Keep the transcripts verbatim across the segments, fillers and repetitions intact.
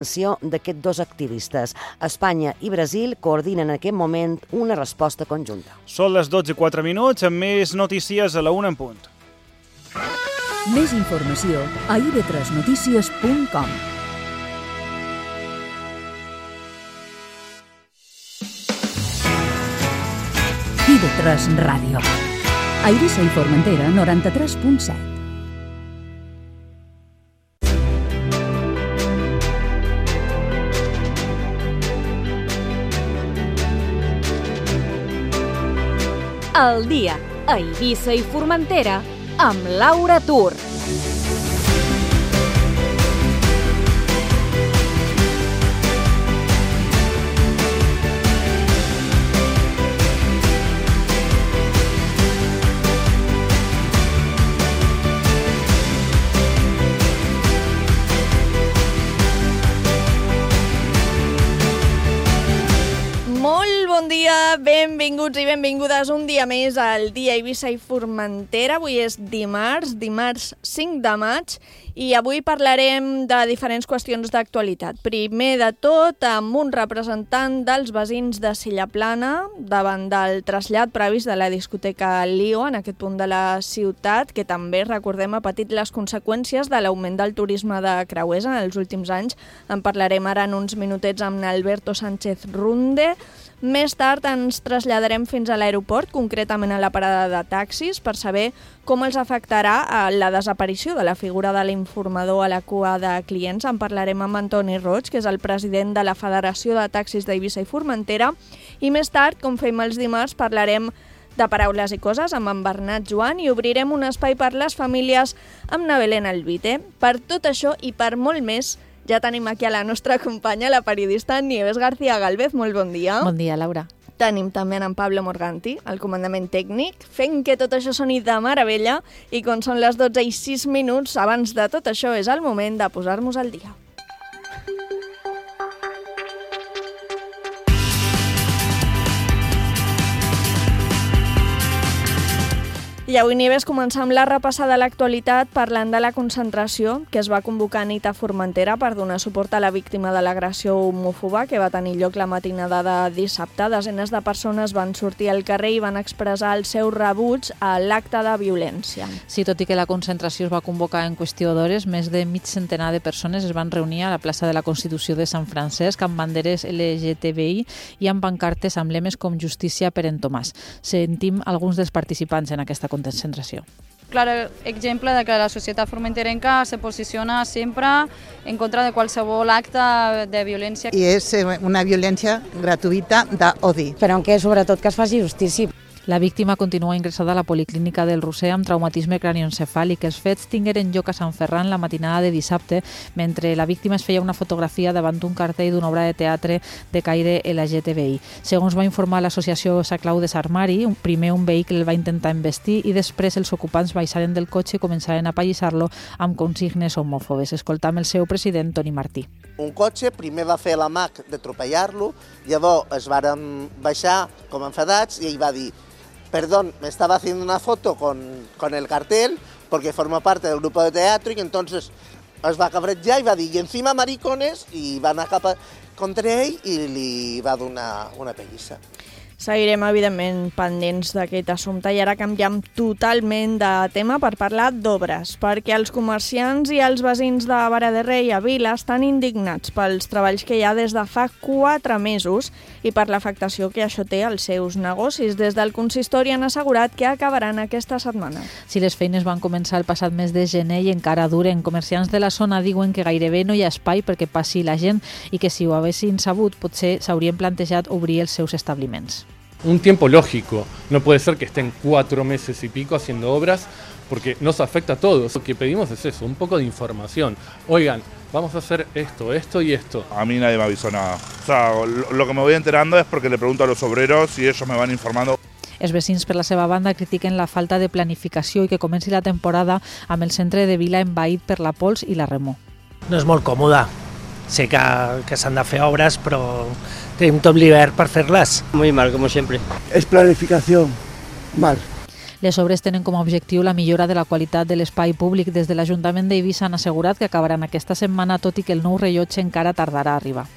d'aquests dos activistes. Espanya i Brasil coordinen en aquest moment una resposta conjunta. Són les dotze i quatre minuts, amb més notícies a la una en punt. Més informació a i ve tres notícies punt com. i ve tres Ràdio. A Eivissa i Formentera, noranta-tres punt set. El dia a Eivissa i Formentera amb Laura Tur. Benvinguts i benvingudes un dia més al dia Eivissa i Formentera. Avui és dimarts, dimarts cinc de maig, i avui parlarem de diferents qüestions d'actualitat. Primer de tot, amb un representant dels veïns de Sillaplana davant del trasllat previst de la discoteca Lío en aquest punt de la ciutat, que també, recordem, ha patit les conseqüències de l'augment del turisme de creuers en els últims anys. En parlarem ara en uns minutets amb Alberto Sánchez Runde. Més tard ens traslladarem fins a l'aeroport, concretament a la parada de taxis, per saber com els afectarà la desaparició de la figura de l'informador a la cua de clients. En parlarem amb Antoni Roig, que és el president de la Federació de Taxis d'Eivissa i Formentera. I més tard, com fem els dimarts, parlarem de paraules i coses amb en Bernat Joan i obrirem un espai per les famílies amb na Belén Albite. Per tot això i per molt més, ja tenim aquí a la nostra companya, la periodista Nieves García Galvez. Molt bon dia. Bon dia, Laura. Tenim també en Pablo Morganti, el comandament tècnic, fent que tot això soni de meravella, i quan són les dotze i sis minuts, abans de tot això és el moment de posar-nos al dia. I avui, Nieves, començar amb la repassada de l'actualitat parlant de la concentració que es va convocar a nit a Formentera per donar suport a la víctima de l'agressió homòfoba que va tenir lloc la matinada de dissabte. Desenes de persones van sortir al carrer i van expressar el seu rebuig a l'acte de violència. Sí, tot i que la concentració es va convocar en qüestió d'hores, més de mig centenar de persones es van reunir a la plaça de la Constitució de Sant Francesc amb banderes L G T B I i amb pancartes amb lemes com Justícia per en Tomàs. Sentim alguns dels participants en aquesta concentració. concentració. Clar exemple de que la societat formenterenca se posiciona sempre en contra de qualsevol acte de violència. I és una violència gratuïta d'odi. Però que sobretot que es faci justícia. La víctima continua ingressada a la Policlínica del Roser amb traumatisme cranioencefàlic. Els fets tingueren lloc a Sant Ferran la matinada de dissabte, mentre la víctima es feia una fotografia davant d'un cartell d'una obra de teatre de caire L G T B I. Segons va informar l'associació Sant Clau de Sarmari, primer un vehicle el va intentar embestir i després els ocupants baixaren del cotxe i començaren a apallissar-lo amb consignes homòfobes. Escoltam el seu president, Toni Martí. Un cotxe primer va fer l'amac d'atropellar-lo, llavors es varen baixar com enfadats i ell va dir: perdón, me estaba haciendo una foto con, con el cartel porque forma parte del grupo de teatro, y entonces es va cabrejar i va dir, i encima maricones, i va anar cap a, contra ell i li va donar una pellissa. Seguirem, evidentment, pendents d'aquest assumpte, i ara canviem totalment de tema per parlar d'obres, perquè els comerciants i els veïns de Vara de Rei a Vila estan indignats pels treballs que hi ha des de fa quatre mesos i per l'afectació que això té als seus negocis. Des del consistori han assegurat que acabaran aquesta setmana. Si les feines van començar el passat mes de gener i encara duren, comerciants de la zona diuen que gairebé no hi ha espai perquè passi la gent i que si ho haguessin sabut potser s'haurien plantejat obrir els seus establiments. Un tiempo lógico, no puede ser que estén cuatro meses y pico haciendo obras porque nos afecta a todos. Lo que pedimos es eso, un poco de información. Oigan, vamos a hacer esto, esto y esto. A mí nadie me avisó nada. O sea, lo, lo que me voy enterando es porque le pregunto a los obreros y ellos me van informando. Els veïns, per la seva banda, critiquen la falta de planificació i que comenci la temporada amb el centre de Vila envaït per la pols i la remor. No és molt còmode. Sé que, que s'han de fer obres, però tenim tot l'hivern per fer-les. Muy mal, como siempre. Es planificación, mal. Les obres tenen com a objectiu la millora de la qualitat de l'espai públic. Des de l'Ajuntament d'Eivissa han assegurat que acabaran aquesta setmana, tot i que el nou rellotge encara tardarà a arribar.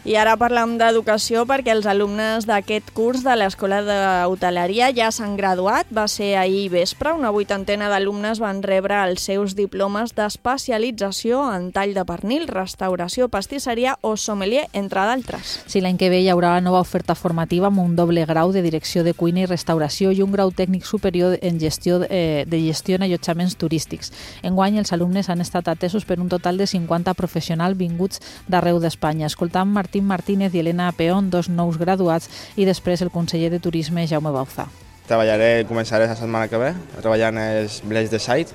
I ara parlem d'educació perquè els alumnes d'aquest curs de l'Escola d'Hoteleria ja s'han graduat. Va ser ahir vespre. Una vuitantena d'alumnes van rebre els seus diplomes d'especialització en tall de pernil, restauració, pastisseria o sommelier, entre d'altres. Sí, l'any que ve hi haurà nova oferta formativa amb un doble grau de direcció de cuina i restauració i un grau tècnic superior en gestió eh, de gestió en allotjaments turístics. Enguany, els alumnes han estat atesos per un total de cinquanta professionals vinguts d'arreu d'Espanya. Escoltam Martí Martínez i Elena Peón, dos nous graduats, i després el conseller de Turisme, Jaume Bauzá. Treballaré, començaré la setmana que ve, treballant els Blades de Site,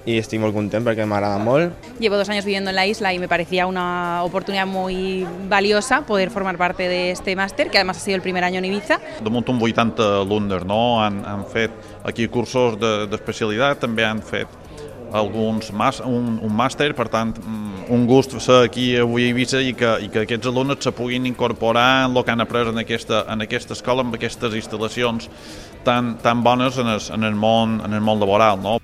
y estoy muy contento porque me agrada mucho. Llevo dos años viviendo en la isla y me parecía una oportunidad muy valiosa poder formar parte de este máster, que además ha sido el primer año en Ibiza. De munt un vuitanta alumnes, no? Han, han fet aquí cursos d'especialitat, de, també han fet alguns mas, un, un màster, per tant, un gust ser aquí avui a Eivissa i que, i que aquests alumnes se puguin incorporar en el que han après en aquesta, en aquesta escola, amb aquestes instal·lacions tan, tan bones en el, en, el món, en el món laboral, no?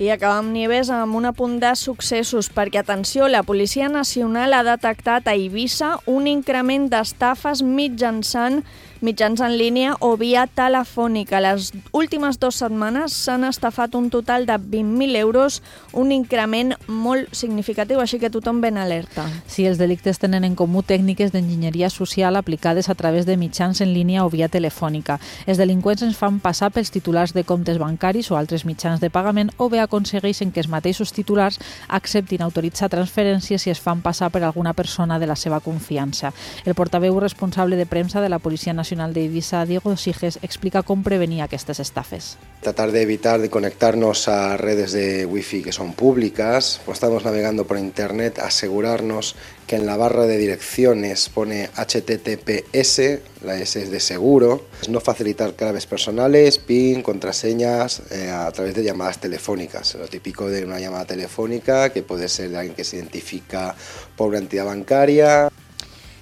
I acabem, Nieves, amb un apunt de successos, perquè, atenció, la Policia Nacional ha detectat a Eivissa un increment d'estafes mitjançant mitjans en línia o via telefònica. Les últimes dues setmanes s'han estafat un total de vint mil euros, un increment molt significatiu, així que tothom ben alerta. Sí, els delictes tenen en comú tècniques d'enginyeria social aplicades a través de mitjans en línia o via telefònica. Els delinqüents ens fan passar pels titulars de comptes bancaris o altres mitjans de pagament o bé aconsegueixen que els mateixos titulars acceptin autoritzar transferències si es fan passar per alguna persona de la seva confiança. El portaveu responsable de premsa de la Policia Nacional de Eivissa, Diego Siges, explica cómo prevenir estas estafes. Tratar de evitar de conectarnos a redes de wifi que son públicas. Cuando estamos navegando por internet, asegurarnos que en la barra de direcciones pone H T T P S, la S es de seguro. No facilitar claves personales, PIN, contraseñas eh, a través de llamadas telefónicas. Lo típico de una llamada telefónica, que puede ser de alguien que se identifica por una entidad bancaria.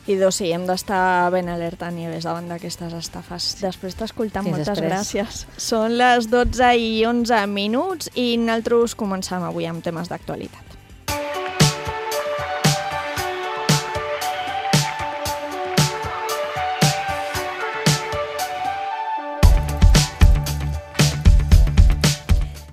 I doncs sí, hem d'estar ben alerta, Nieves, davant d'aquestes estafes. Després t'escoltam, moltes després. gràcies. Són les dotze i onze minuts i nosaltres comencem avui amb temes d'actualitat.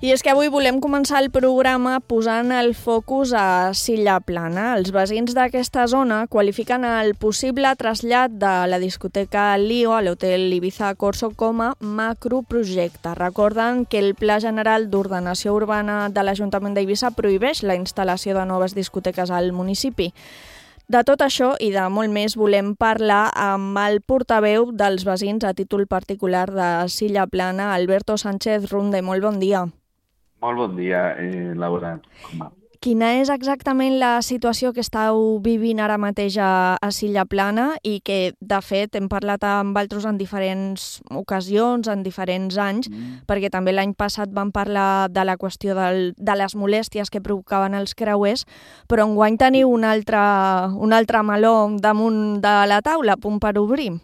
I és que avui volem començar el programa posant el focus a Silla Plana. Els veïns d'aquesta zona qualifiquen el possible trasllat de la discoteca Lío a l'hotel Ibiza Corso com a macroprojecte. Recorden que el Pla General d'Ordenació Urbana de l'Ajuntament d'Eivissa prohibeix la instal·lació de noves discoteques al municipi. De tot això i de molt més volem parlar amb el portaveu dels veïns a títol particular de Silla Plana, Alberto Sánchez Runde. Molt bon dia. Molt bon dia, eh, Laura. Com va? Quina és exactament la situació que estàu vivint ara mateix a, a Silla Plana i que, de fet, hem parlat amb altres en diferents ocasions, en diferents anys, mm. perquè també l'any passat vam parlar de la qüestió del, de les molèsties que provocaven els creuers, però enguany teniu un altre, un altre meló damunt de la taula, a punt per obrir.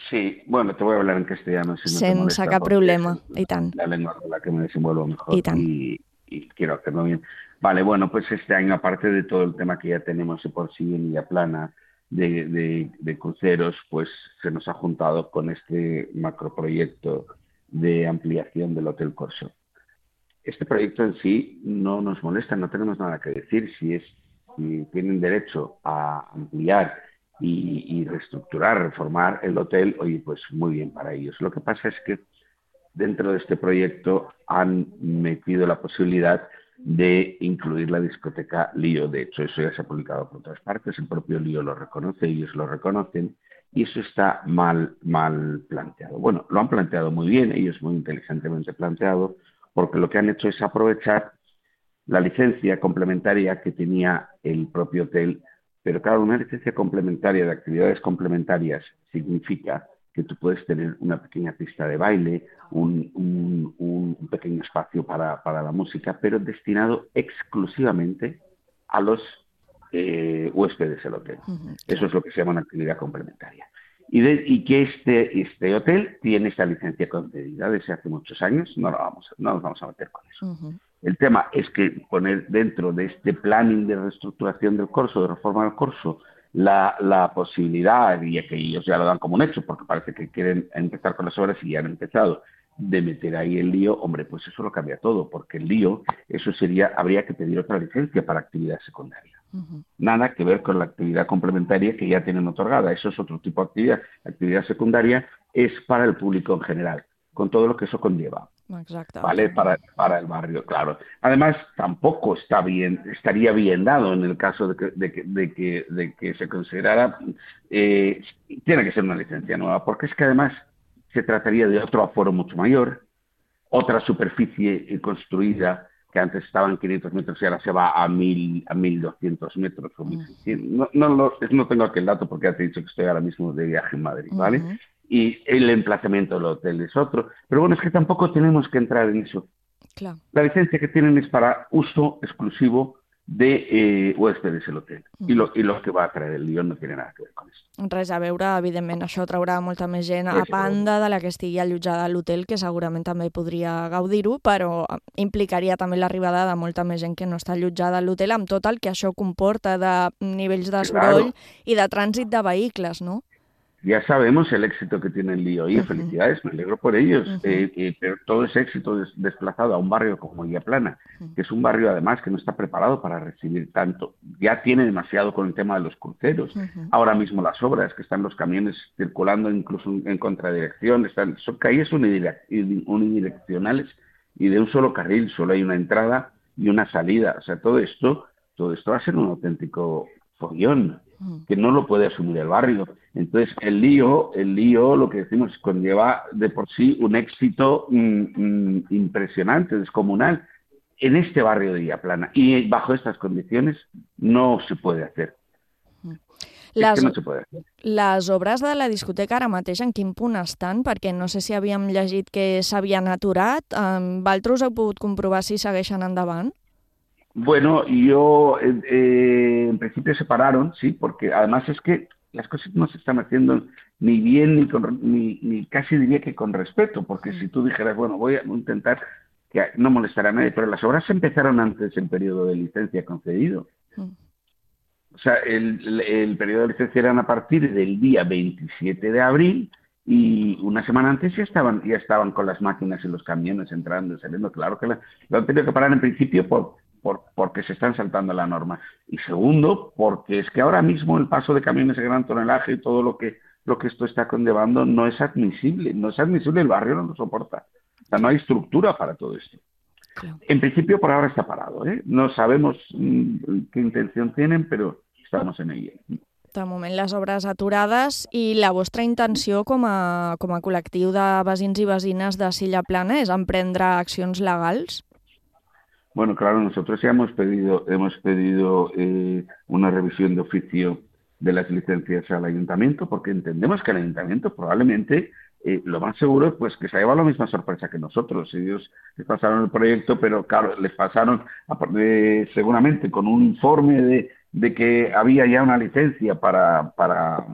Sí, bueno, te voy a hablar en castellano. Si no Sense cap problema, i tant. La lengua con la que me desenvuelvo mejor y, y, y quiero hacerlo bien. Vale, bueno, pues este año, aparte de todo el tema que ya tenemos de por sí en Silla Plana, de, de, de cruceros, pues se nos ha juntado con este macroproyecto de ampliación del Hotel Corso. Este proyecto en sí no nos molesta, no tenemos nada que decir. Si, es, si tienen derecho a ampliar Y, y reestructurar, reformar el hotel, oye, pues muy bien para ellos. Lo que pasa es que dentro de este proyecto han metido la posibilidad de incluir la discoteca Lío. De hecho, eso ya se ha publicado por otras partes, el propio Lío lo reconoce, ellos lo reconocen, y eso está mal, mal planteado. Bueno, lo han planteado muy bien, ellos muy inteligentemente planteado, porque lo que han hecho es aprovechar la licencia complementaria que tenía el propio hotel. Pero claro, una licencia complementaria de actividades complementarias significa que tú puedes tener una pequeña pista de baile, un, un, un pequeño espacio para, para la música, pero destinado exclusivamente a los eh, huéspedes del hotel. Uh-huh. Eso es lo que se llama una actividad complementaria. y, de, y que este, este hotel tiene esta licencia concedida desde hace muchos años. No, lo vamos, no nos vamos a meter con eso. Uh-huh. El tema es que poner dentro de este planning de reestructuración del Corso, de reforma del Corso, la, la posibilidad, y que ellos ya lo dan como un hecho, porque parece que quieren empezar con las obras y ya han empezado, de meter ahí el lío, hombre, pues eso lo cambia todo, porque el lío, eso sería, habría que pedir otra licencia para actividad secundaria. Uh-huh. Nada que ver con la actividad complementaria que ya tienen otorgada, eso es otro tipo de actividad. Actividad secundaria es para el público en general, con todo lo que eso conlleva. Exacto. ¿Vale? Para, para el barrio, claro. Además, tampoco está bien, estaría bien dado en el caso de que, de que, de que, de que se considerara, eh, tiene que ser una licencia nueva, porque es que además se trataría de otro aforo mucho mayor, otra superficie construida que antes estaba en quinientos metros y ahora se va a mil a mil doscientos metros o mil seiscientos. No, no, no, no tengo aquel dato porque ya te he dicho que estoy ahora mismo de viaje en Madrid, ¿vale? Uh-huh. Y el emplazamiento del hotel es otro. Pero bueno, es que tampoco tenemos que entrar en eso. Claro. La licencia que tienen es para uso exclusivo de eh, huéspedes el hotel. Uh-huh. I, lo, I lo que va a traer el lío no tiene nada que ver con eso. Res a veure, evidentment, això traurà molta més gent a banda de la que estigui allotjada a l'hotel, que segurament també podria gaudir-ho, però implicaria també l'arribada de molta més gent que no està allotjada a l'hotel, amb tot el que això comporta de nivells de soroll claro. I de trànsit de vehicles, no? Ya sabemos el éxito que tiene el lío y uh-huh. felicidades, me alegro por ellos, uh-huh. eh, eh, pero todo ese éxito des- desplazado a un barrio como Villaplana, uh-huh. que es un barrio además que no está preparado para recibir tanto, ya tiene demasiado con el tema de los cruceros, uh-huh. ahora mismo las obras, que están los camiones circulando incluso en contradirección, están, son calles unidireccionales y de un solo carril, solo hay una entrada y una salida, o sea, todo esto, todo esto va a ser un auténtico follón, que no lo puede asumir el barrio. Entonces, el lío, el lío, lo que decimos, conlleva de por sí un éxito mm, mm, impresionante, descomunal, en este barrio de Villaplana. Y bajo estas condiciones no se puede hacer. Les, es que no se puede hacer. Les obres de la discoteca ara mateix en quin punt estan? Perquè no sé si havíem llegit que s'havien aturat. Um, Vosaltres heu pogut comprovar si segueixen endavant? Bueno, yo eh, eh, en principio se pararon, sí, porque además es que las cosas no se están haciendo ni bien ni, con, ni, ni casi diría que con respeto, porque si tú dijeras, bueno, voy a intentar que no molestar a nadie, pero las obras empezaron antes del periodo de licencia concedido. Mm. O sea, el, el, el periodo de licencia eran a partir del día veintisiete de abril y una semana antes ya estaban ya estaban con las máquinas y los camiones entrando y saliendo. Claro que la, lo han tenido que parar en principio por Por, porque se están saltando la norma. Y segundo, porque es que ahora mismo el paso de camiones de gran tonelaje y todo lo que, lo que esto está conllevando no es admisible. No es admisible, el barrio no lo soporta. O sea, no hay estructura para todo esto. Claro. En principio, por ahora está parado, ¿eh? No sabemos mmm, qué intención tienen, pero estamos en ella. De moment les obres aturades i la vostra intenció com a, com a col·lectiu de veïns i veïnes de Silla Plana és emprendre accions legals? Bueno, claro, nosotros ya hemos pedido, hemos pedido eh, una revisión de oficio de las licencias al ayuntamiento, porque entendemos que el ayuntamiento probablemente, eh, lo más seguro es pues, que se ha llevado la misma sorpresa que nosotros. Ellos les pasaron el proyecto, pero claro, les pasaron eh, seguramente con un informe de, de que había ya una licencia para, para,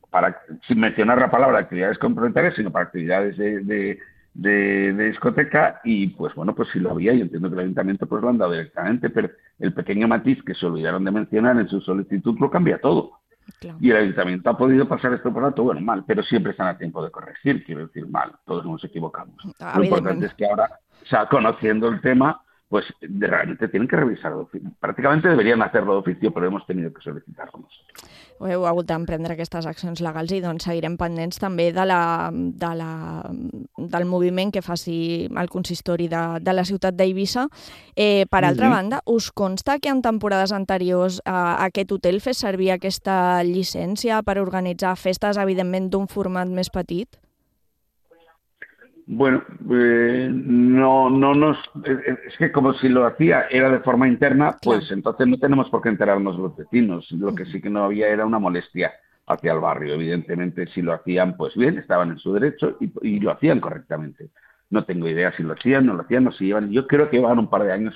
para, sin mencionar la palabra actividades complementarias, sino para actividades de... de De, de discoteca y pues bueno, pues sí lo había, yo entiendo que el ayuntamiento pues lo han dado directamente, pero el pequeño matiz que se olvidaron de mencionar en su solicitud lo cambia todo. Claro. Y el ayuntamiento ha podido pasar esto por alto, bueno, mal, pero siempre están a tiempo de corregir, quiero decir, mal, todos nos equivocamos. Lo importante es que ahora, o sea, conociendo el tema, pues de, realmente tienen que revisarlo de oficio. Prácticamente deberían hacerlo de oficio, però hemos tenido que solicitarlo nosotros. Heu hagut d'emprendre aquestes accions legals i doncs seguirem pendents també de la, de la, del moviment que faci el consistori de, de la ciutat d'Eivissa. Eh, per altra mm-hmm. banda, us consta que en temporades anteriors eh, aquest hotel fes servir aquesta llicència per organitzar festes, evidentment, d'un format més petit? Bueno, eh, no, no nos... Es que como si lo hacía era de forma interna, pues claro. Entonces no tenemos por qué enterarnos los vecinos. Lo que sí que no había era una molestia hacia el barrio. Evidentemente, si lo hacían, pues bien, estaban en su derecho y, y lo hacían correctamente. No tengo idea si lo hacían, no lo hacían, no se llevan. Yo creo que llevan un par de años,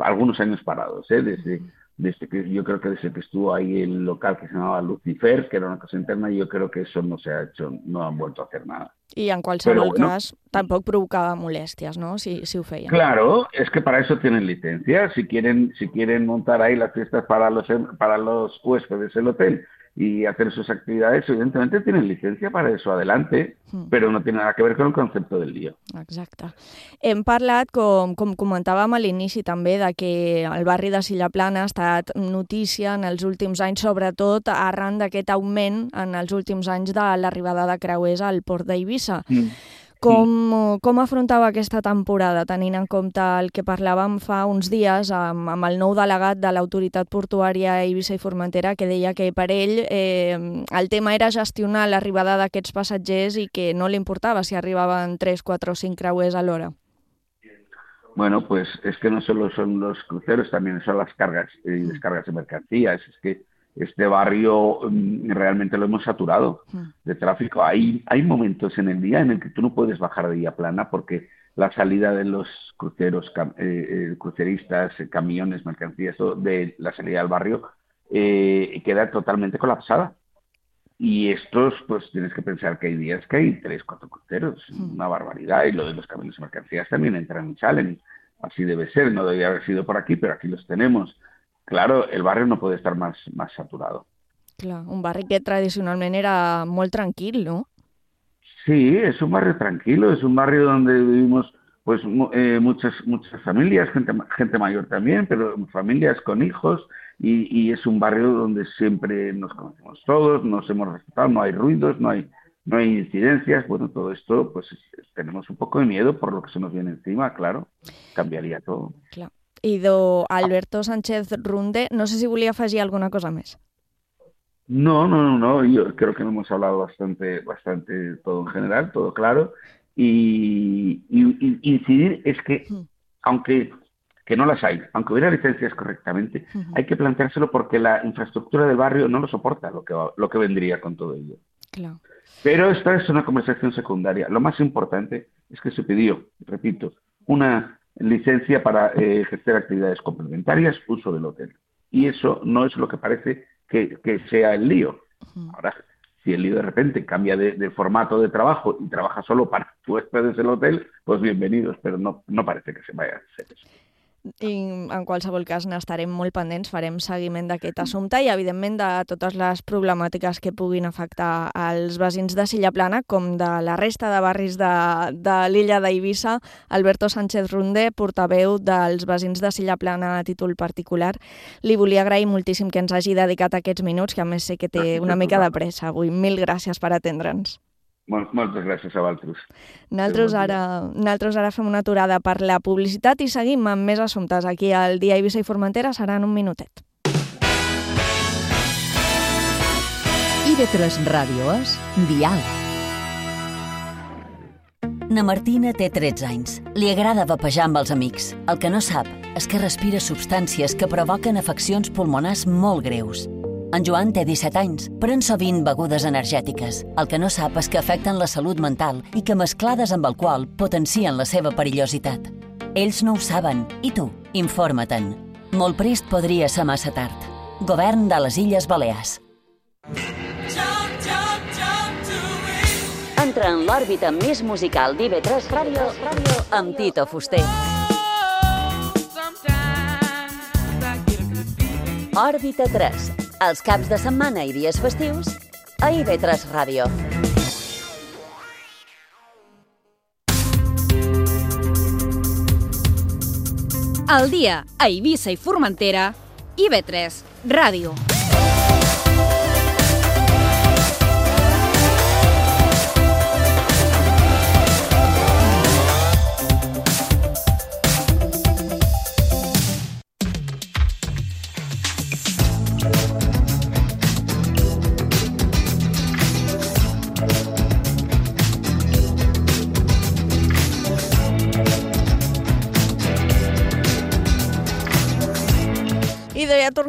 algunos años parados, ¿eh? Desde, desde que, yo creo que desde que estuvo ahí el local que se llamaba Lucifer, que era una cosa interna, yo creo que eso no se ha hecho, no han vuelto a hacer nada. I en qualsevol bueno, cas tampoc provocava molèsties, ¿no? Si, si ho feien. Claro, es que para eso tienen licencia. Si quieren, si quieren montar ahí las fiestas para los, para los huéspedes del hotel y hacer sus actividades, evidentemente tienen licencia para eso, adelante, mm. però no tiene nada que ver con el concepte del lío. Exacte. Hem parlat, com, com comentàvem a l'inici també, de que el barri de Silla Plana ha estat notícia en els últims anys, sobretot arran d'aquest augment en els últims anys de l'arribada de creuers al port d'Eivissa. Mm. Com, com afrontava aquesta temporada, tenint en compte el que parlàvem fa uns dies amb, amb el nou delegat de l'autoritat portuària Eivissa i Formentera, que deia que per ell eh, el tema era gestionar l'arribada d'aquests passatgers i que no li importava si arribaven tres, quatre o cinc creuers a l'hora? Bueno, pues es que no solo son los cruceros, también son las cargas y eh, descargas de mercancías. Es que este barrio um, realmente lo hemos saturado de tráfico. Hay, hay momentos en el día en el que tú no puedes bajar de Villa Plana porque la salida de los cruceros, cam, eh, cruceristas, camiones, mercancías, todo, de la salida del barrio eh, queda totalmente colapsada. Y estos, pues tienes que pensar que hay días que hay tres, cuatro cruceros, mm. una barbaridad. Y lo de los camiones y mercancías también entran y salen. Así debe ser, no debería haber sido por aquí, pero aquí los tenemos. Claro, el barrio no puede estar más, más saturado. Clar, un barri que tradicionalment era molt tranquil, ¿no? Sí, es un barrio tranquilo, es un barrio donde vivimos pues eh, muchas muchas familias, gente, gente mayor también, pero familias con hijos, y, y es un barrio donde siempre nos conocemos todos, nos hemos respetado, no hay ruidos, no hay, no hay incidencias. Bueno, todo esto, pues tenemos un poco de miedo por lo que se nos viene encima, claro, cambiaría todo. Claro. I do Alberto Sánchez Runde, no sé si volia afegir alguna cosa més. No, no, no, no, yo creo que hemos hablado bastante, bastante todo en general, todo claro, y, y, y incidir es que, mm. aunque que no las hay, aunque hubiera licencias correctamente, mm-hmm. hay que planteárselo porque la infraestructura del barrio no lo soporta, lo que, lo que vendría con todo ello. Claro. Pero esta es una conversación secundaria. Lo más importante es que se pidió, repito, una licencia para eh, ejercer actividades complementarias, uso del hotel. Y eso no es lo que parece que, que sea el lío. Uh-huh. Ahora, si el lío de repente cambia de, de formato de trabajo y trabaja solo para huéspedes del hotel, pues bienvenidos, pero no, no parece que se vaya a hacer eso. I en qualsevol cas n'estarem molt pendents, farem seguiment d'aquest assumpte i evidentment de totes les problemàtiques que puguin afectar als veïns de Silla Plana com de la resta de barris de, de l'illa d'Eivissa. Alberto Sánchez Runde, portaveu dels veïns de Silla Plana a títol particular, li volia agrair moltíssim que ens hagi dedicat aquests minuts, que a més sé que té una mica de pressa avui. Mil gràcies per atendre'ns. Moltes gràcies a vosaltres. Nosaltres ara, nosaltres ara fem una aturada per la publicitat i seguim amb més assumptes aquí al Dia Eivissa i Formentera. Serà en un minutet. I de tres Ràdio és Dial. Na Martina té tretze anys. Li agrada vapejar amb els amics. El que no sap és que respira substàncies que provoquen afeccions pulmonars molt greus. En Joan té disset anys, pren sovint begudes energètiques. El que no sap és que afecten la salut mental i que mesclades amb alcohol potencien la seva perillositat. Ells no ho saben, i tu, informa-te'n. Molt prest podria ser massa tard. Govern de les Illes Balears. Entra en l'òrbita més musical d'I V tres Ràdio amb Tito Fuster. Òrbita tres. Els caps de setmana i dies festius a I V tres Ràdio. Al dia a Eivissa i Formentera, I V tres Ràdio.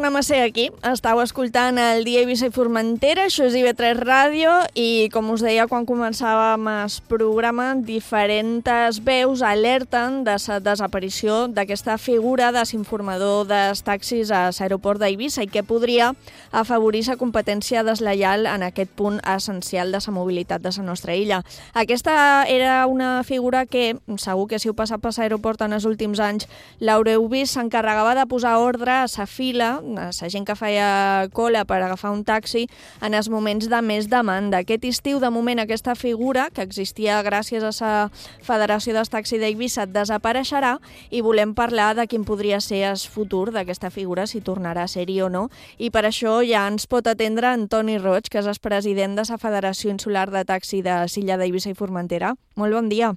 tornem a ser aquí. Estàu escoltant el Dia Eivissa i Formentera, això és I V tres Ràdio, i com us deia quan començàvem el programa, diferents veus alerten de la desaparició d'aquesta figura de l'informador dels taxis a l'aeroport d'Eivissa i que podria afavorir la competència deslleial en aquest punt essencial de la mobilitat de la nostra illa. Aquesta era una figura que, segur que si heu passat per l'aeroport en els últims anys, l'haureu vist, s'encarregava de posar ordre a la fila, a la gent que feia cola per agafar un taxi en els moments de més demanda. Aquest estiu, de moment, aquesta figura, que existia gràcies a la Federació dels Taxis d'Eivissa, desapareixerà i volem parlar de quin podria ser el futur d'aquesta figura, si tornarà a ser-hi o no. I per això ja ens pot atendre Antoni Roig, que és el president de la Federació Insular de Taxi de l'illa d'Eivissa i Formentera. Molt bon dia.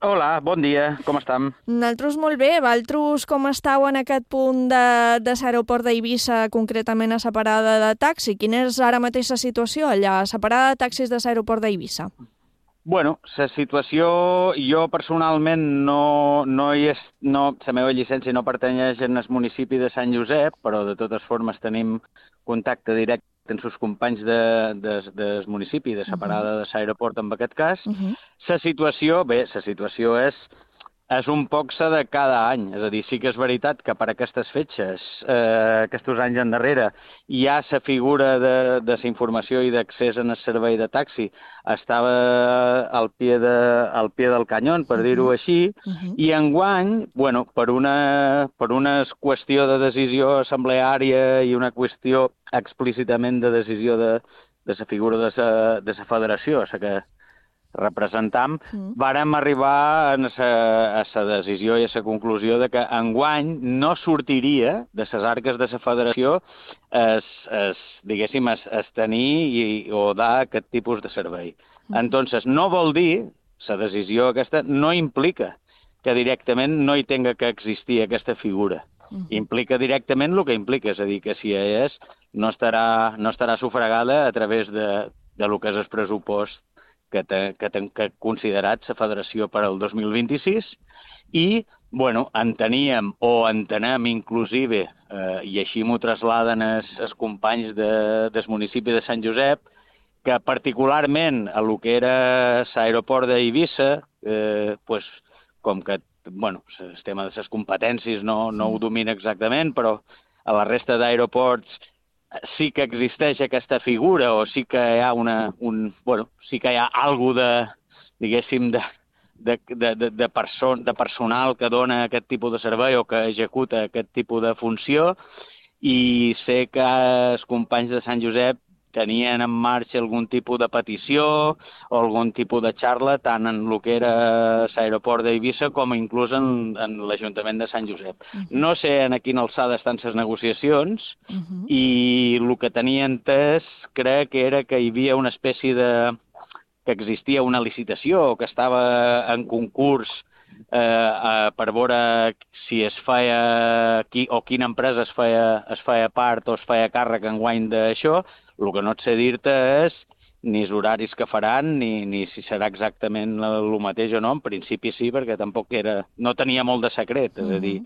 Hola, bon dia, com estem? Nosaltres molt bé, vosaltres com estàu en aquest punt de, de l'aeroport d'Eivissa, concretament a la parada de taxi? Quina és ara mateix la situació allà, a la parada de taxis de l'aeroport d'Eivissa? Bueno, la situació, jo personalment no, no hi és, no, la meva llicència no pertanyeix al municipi de Sant Josep, però de totes formes tenim contacte directe amb els companys de, de, del municipi, de la parada de l'aeroport en aquest cas. Uh-huh. La situació, bé, la situació és, és un poc la de cada any. És a dir, sí que és veritat que per aquestes fetges, eh, aquests anys endarrere, hi ha la figura de, de la informació i d'accés en el servei de taxi estava al pie, de, al pie del canyón, per uh-huh. dir-ho així, uh-huh. i enguany, bueno, per una, per una qüestió de decisió assembleària i una qüestió explícitament de decisió de, de la figura de la, de la federació, la que representam, mm. vàrem arribar a la decisió i a la conclusió de que enguany no sortiria de les arques de la federació es, es, diguéssim, es, es tenir i, o dar aquest tipus de servei. Mm. Entonces, no vol dir, la decisió aquesta no implica que directament no hi tenga que existir aquesta figura. Mm. Implica directament el que implica, és a dir, que si hi és, no estarà, no estarà sufragada a través de, de lo que és el pressupost que té, que té que considerat la federació per al dos mil vint-i-sis i, bueno, enteníem o entenem inclusive, eh, i així m'ho trasladen els, els companys de, del municipi de Sant Josep, que particularment a lo que era l'aeroport d'Eivissa, eh, pues, com que, bueno, el tema de les competències no, no ho domina exactament, però a la resta d'aeroports sí que existeix aquesta figura o sí que hi ha una, un, bueno, sí que hi ha alguna de, diguéssim, de, de, de, de, person, de personal que dona aquest tipus de servei o que executa aquest tipus de funció i sé que els companys de Sant Josep tenien en marxa algun tipus de petició o algun tipus de xarra tant en el que era l'aeroport d'Eivissa com inclús en, en l'Ajuntament de Sant Josep. Uh-huh. No sé en quina alçada estan les negociacions uh-huh. i el que tenia entès crec que era que hi havia una espècie de... que existia una licitació o que estava en concurs eh, eh, per veure si es feia qui, o quina empresa es feia, es feia part o es feia càrrec enguany d'això. El que no et sé dir-te és ni els horaris que faran, ni, ni si serà exactament el mateix o no. En principi sí, perquè tampoc era... no tenia molt de secret. És a dir,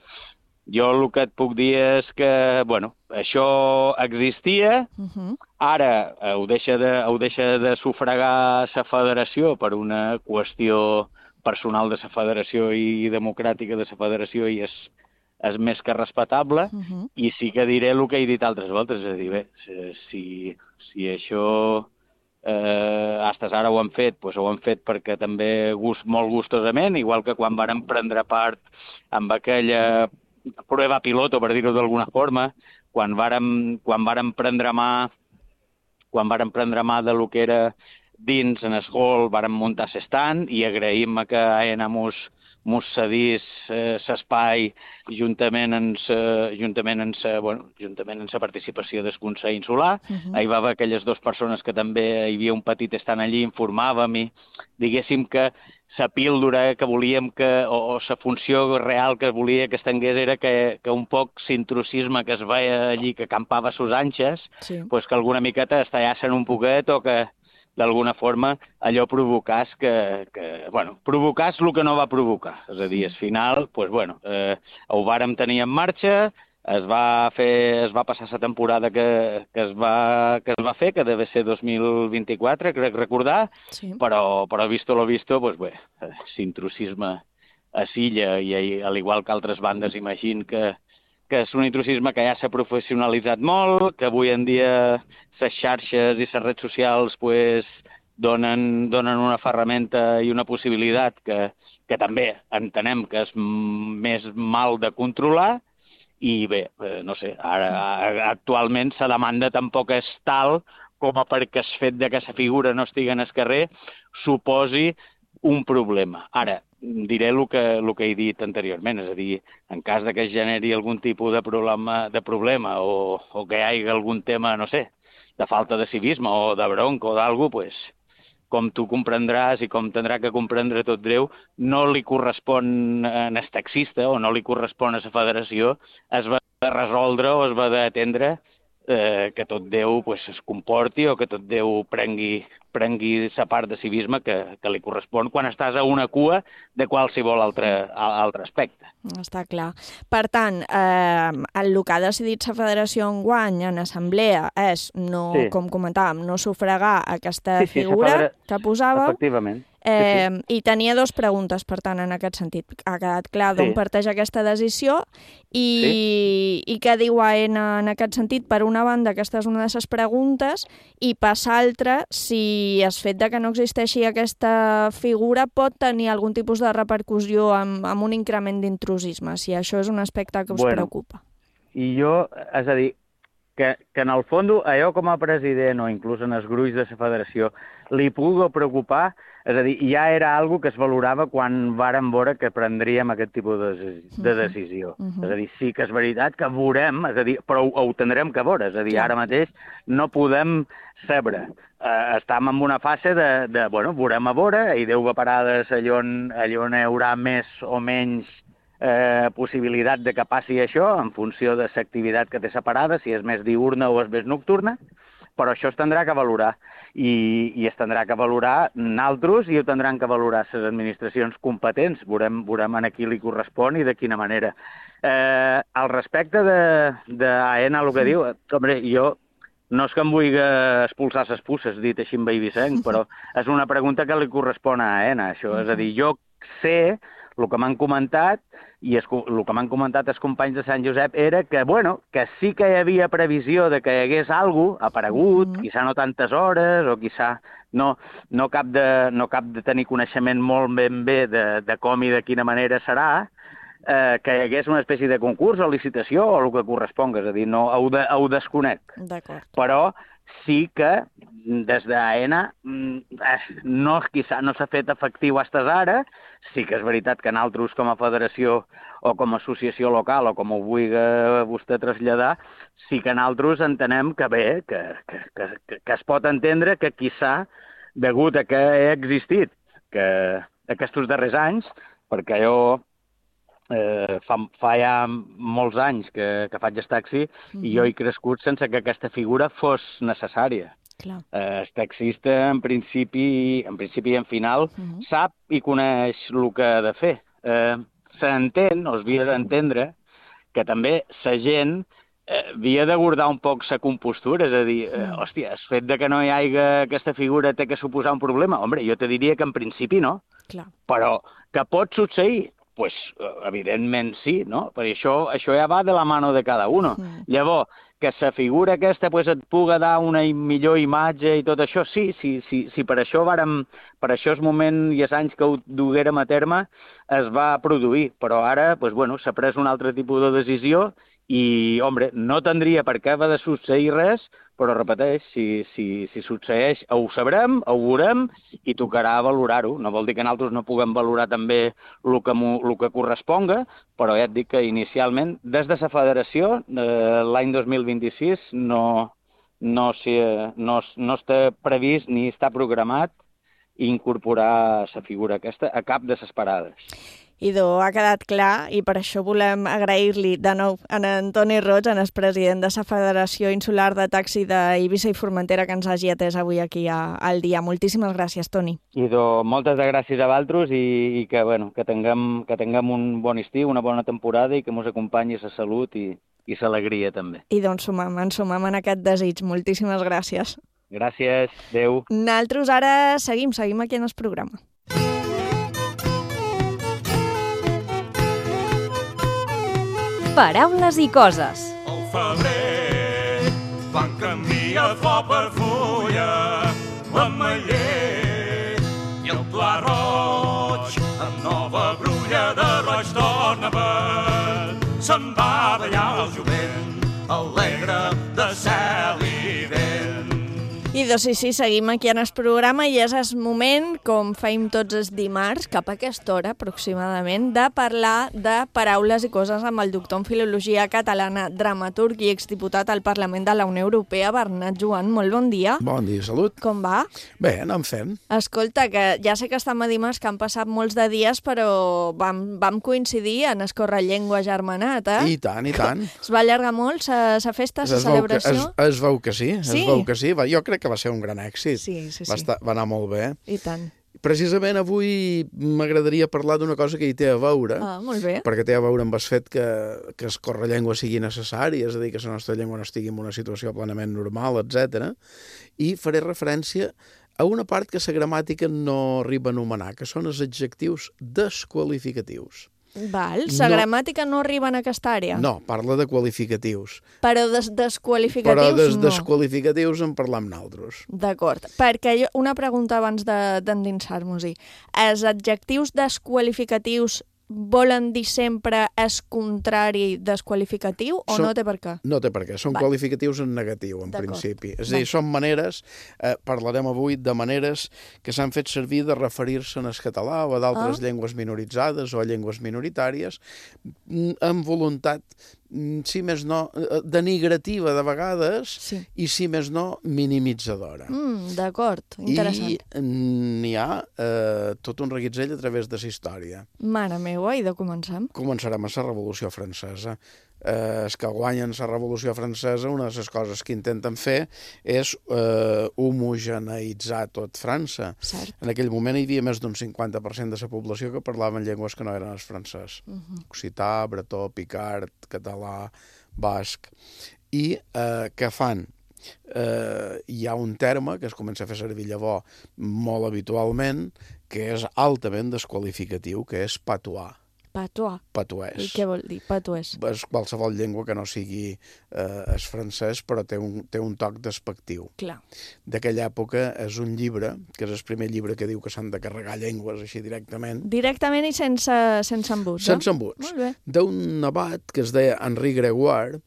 jo el que et puc dir és que, bueno, això existia, uh-huh. ara ho deixa, de, ho deixa de sufragar la federació per una qüestió personal de la federació i democràtica de la federació i és és més que respectable, uh-huh. i sí que diré el que he dit altres voltes, és a dir, bé, si, si això eh, hasta ara ho han fet, doncs ho han fet perquè també gust, molt gustosament, igual que quan varen prendre part amb aquella prova piloto, per dir-ho d'alguna forma, quan varen, quan varen prendre mà quan varen prendre mà de lo que era dins en el hall, varen muntar l'estant i agraïm que A N A mos mos cedís l'espai eh, juntament amb la juntament amb sa, bueno, juntament amb la participació del Consell Insular. Uh-huh. Hi va haver aquelles dues persones que també hi havia un petit estant allí, informàvem i diguéssim que la píldora que volíem que, o la funció real que volia que estengués era que, que un poc l'intrusisme que es veia allí, que campava a sus anxes, sí. pues que alguna miqueta estallassen un poquet o que d'alguna forma allò provocàs que, que, bueno, provocàs el que no va provocar. És a dir, al final, pues, bueno, eh, ho vàrem tenir en marxa, es va fer, es va passar la temporada que, que, es va, que es va fer, que deve ser dos mil vint-i-quatre, crec recordar, sí. però, però visto lo visto, pues bé, l'intrusisme a Silla, i al igual que altres bandes, imagino que, que és un intrusisme que ja s'ha professionalitzat molt, que avui en dia les xarxes i les redes socials pues, donen, donen una ferramenta i una possibilitat que, que també entenem que és més mal de controlar. I bé, no sé, ara actualment la demanda tampoc és tal com a perquè el fet de que la figura no estigui en el carrer suposi un problema. Ara, diré el que, el que he dit anteriorment, és a dir, en cas de que es generi algun tipus de problema, de problema o, o que hi hagi algun tema, no sé, de falta de civisme o de bronca o d'algú, pues, com tu comprendràs i com tindrà que comprendre tot Déu, no li correspon a el taxista o no li correspon a la federació, es va de resoldre o es va d'atendre eh, que tot Déu pues, es comporti o que tot Déu prengui, prengui la part de civisme que, que li correspon quan estàs a una cua de qualsevol altre, altre aspecte. Està clar. Per tant, eh, el que ha decidit la federació enguany en assemblea és, no, sí. com comentàvem, no sufragar aquesta sí, sí, figura federa... que posava. Efectivament. Eh, sí, sí. I tenia dos preguntes, per tant, en aquest sentit. Ha quedat clar d'on sí. parteix aquesta decisió i, sí. i què diu A E N A en aquest sentit. Per una banda, aquesta és una de les preguntes, i per l'altra, si el fet de que no existeixi aquesta figura pot tenir algun tipus de repercussió amb, amb un increment d'intrusisme, si això és un aspecte que us bueno, preocupa. I jo, és a dir, que, que en el fons, allò com a president o inclús en els gruix de la federació li pugui preocupar, és a dir, ja era algo que es valorava quan vàrem veure que prendríem aquest tipus de, de decisió. Uh -huh. És a dir, sí que és veritat que veurem, és a dir, però ho, ho tindrem que veure. És a dir, ara mateix no podem saber. Uh, estem en una fase de, de, bueno, veurem a veure, i Déu va parades allò on, allò on hi haurà més o menys eh, possibilitat de que passi això, en funció de l'activitat que té separada, si és més diurna o és més nocturna, però això es tindrà que valorar. I, i es tindrà que valorar naltros i ho tindran que valorar les administracions competents. Veurem, veurem a qui li correspon i de quina manera. Eh, al respecte de, de A E N A, el que diu, hombre, jo no és que em vulgui expulsar les pusses, dit així en Beivissenc, però és una pregunta que li correspon a A E N A, això. És a dir, jo sé el que m'han comentat, i es, el que m'han comentat els companys de Sant Josep era que, bueno, que sí que hi havia previsió de que hi hagués alguna cosa aparegut, mm-hmm. quizà no tantes hores, o quizà no, no, cap de, no cap de tenir coneixement molt ben bé de, de com i de quina manera serà, eh, que hi hagués una espècie de concurs o licitació o el que corresponga, és a dir, no, ho, de, ho desconec. D'acord. Però sí que des d'A E N A no, quizà no s'ha fet efectiu fins ara. Sí que és veritat que nosaltres com a federació o com a associació local o com ho vulgui vostè traslladar, sí que nosaltres entenem que bé, que, que, que, que es pot entendre que quizà, degut a que ha existit que aquests darrers anys, perquè jo eh, fa, fa ja molts anys que, que faig el taxi mm-hmm. i jo he crescut sense que aquesta figura fos necessària. Clar. Eh, el taxista, en principi, en principi i en final, uh-huh. sap i coneix el que ha de fer. Eh, S'entén, o es havia d'entendre, que també la gent eh, havia de guardar un poc la compostura, és a dir, eh, hòstia, el fet de que no hi hagi aquesta figura té que suposar un problema. Hombre, jo te diria que en principi no, Clar. Però que pot succeir? Pues, evidentment sí, no? Perquè això, això ja va de la mano de cada uno. Uh-huh. Llavors, que la figura aquesta pues, et puga dar una millor imatge i tot això, sí, sí, sí, sí per això vàrem, per això el moment i els anys que ho duguérem a terme es va produir, però ara pues, bueno, s'ha pres un altre tipus de decisió i, hombre, no tindria per què haver de succeir res, però repeteix, si, si, si succeeix ho sabrem, ho veurem i tocarà valorar-ho. No vol dir que nosaltres no puguem valorar també el que, el que corresponga, però ja et dic que inicialment, des de la federació, eh, l'any dos mil vint-i-sis, no, no, si, no, no està previst ni està programat incorporar la figura aquesta a cap de les parades. Idò, ha quedat clar i per això volem agrair-li de nou a en Toni Roig, en el president de la Federació Insular de Taxi d'Eivissa i Formentera, que ens hagi atès avui aquí a, al dia. Moltíssimes gràcies, Toni. Idò, moltes gràcies a vosaltres i, i que, bueno, que, tinguem, que tinguem un bon estiu, una bona temporada i que ens acompanyi la salut i, i l'alegria també. I doncs sumam, ens sumam en aquest desig. Moltíssimes gràcies. Gràcies, adeu. Nosaltres ara seguim, seguim aquí en el programa. Paraules i coses. Al febrer van canviar flor per fulla, l'ametller i el pla roig, amb nova brulla de roig torna verd. Se'n va ballar el jovent, alegre de cel i vent. I doncs sí, sí, seguim aquí en el programa i és el moment, com feim tots els dimarts, cap a aquesta hora aproximadament, de parlar de paraules i coses amb el doctor en Filologia Catalana, dramaturg i exdiputat al Parlament de la Unió Europea, Bernat Joan. Molt bon dia. Bon dia, salut. Com va? Bé, anem fent. Escolta, que ja sé que estem a dimarts, que han passat molts de dies, però vam, vam coincidir en Escorrellengua Germanat, eh? I tant, i tant. Es va allargar molt la festa, la celebració? Es, es veu que sí, es sí? veu que sí. Va, jo crec que va ser un gran èxit. Sí, sí, sí. Va, estar, va anar molt bé. I tant. Precisament avui m'agradaria parlar d'una cosa que hi té a veure, ah, molt bé. perquè té a veure amb el fet que, que Escorrellengua sigui necessari, és a dir, que la nostra llengua no estigui en una situació plenament normal, etcètera. I faré referència a una part que la gramàtica no arriba a anomenar, que són els adjectius desqualificatius. Val, la no, gramàtica no arriba en aquesta àrea? No, parla de qualificatius. Però des desqualificatius Però des no. desqualificatius en parlam nosaltres. D'acord, perquè jo, una pregunta abans d'endinsar-nos-hi. Els adjectius desqualificatius volen dir sempre és contrari desqualificatiu o Són, no té per què? No té per què, són Va. qualificatius en negatiu, en principi. És a dir, Va. són maneres, eh, parlarem avui de maneres que s'han fet servir de referir-se en el català o a d'altres Ah. llengües minoritzades o a llengües minoritàries, amb voluntat, si més no, denigrativa de vegades, sí. i si més no, minimitzadora. Mm, D'acord, interessant. I n'hi ha eh, tot un reguitzell a través de la història. Mare meva, i de comencem? Començarem a la Revolució Francesa. Eh, els que guanyen la Revolució Francesa, una de les coses que intenten fer és eh, homogeneïtzar tot França. Cert. En aquell moment hi havia més d'un cinquanta per cent de la població que parlaven llengües que no eren el francès. Uh -huh. Occità, bretó, picard, català, basc. I eh, què fan? Eh, hi ha un terme que es comença a fer servir llavors molt habitualment, que és altament desqualificatiu, que és patois. Patois. Patuès. I què vol dir, patuès? És qualsevol llengua que no sigui eh, el francès, però té un, té un toc despectiu. Clar. D'aquella època és un llibre, que és el primer llibre que diu que s'han de carregar llengües així directament. Directament i sense, sense embuts, Sense eh? embuts. Molt bé. D'un abat que es deia Henri Gregoire,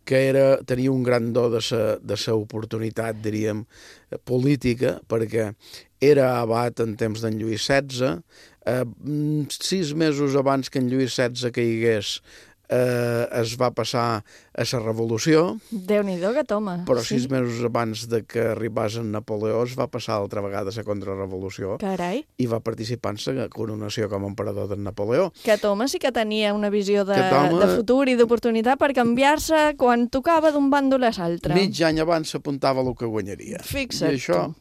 que era, tenia un gran do de sa, de sa oportunitat, diríem, política, perquè era abat en temps d'en Lluís setze, eh, sis mesos abans que en Lluís setze caigués, eh, es va passar a la Revolució. Déu-n'hi-do que toma. Però sí. sis mesos abans de que arribés en Napoleó es va passar altra vegada a la contrarrevolució. Carai. I va participar en la coronació com a emperador d'en Napoleó. Que Toma sí que tenia una visió de, Toma... de futur i d'oportunitat per canviar-se quan tocava d'un bàndol a l'altre. Mig any abans s'apuntava el que guanyaria. Fixa't I això...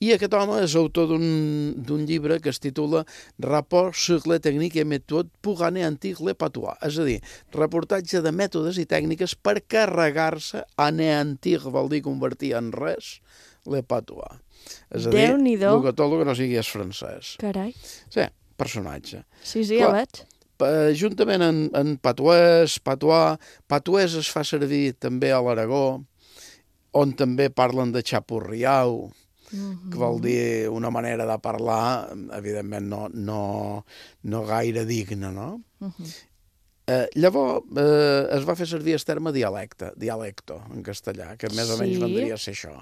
I aquest home és autor d'un llibre que es titula Rapport sur les techniques et méthodes pour anéantir le patois. És a dir, reportatge de mètodes i tècniques per carregar-se, anéantir vol dir convertir en res, le patois. És a dir, el que tot el que no sigui és francès. Carai. Sí, personatge. Sí, sí, ja veig. Juntament en, en patuès, patois, patuès es fa servir també a l'Aragó, on també parlen de xapurriau, Mm-hmm. que vol dir una manera de parlar, evidentment no, no, no gaire digna, no? Mm-hmm. Eh, llavors eh, es va fer servir el terme dialecte, dialecto, en castellà, que més o menys Sí. vendria a ser això,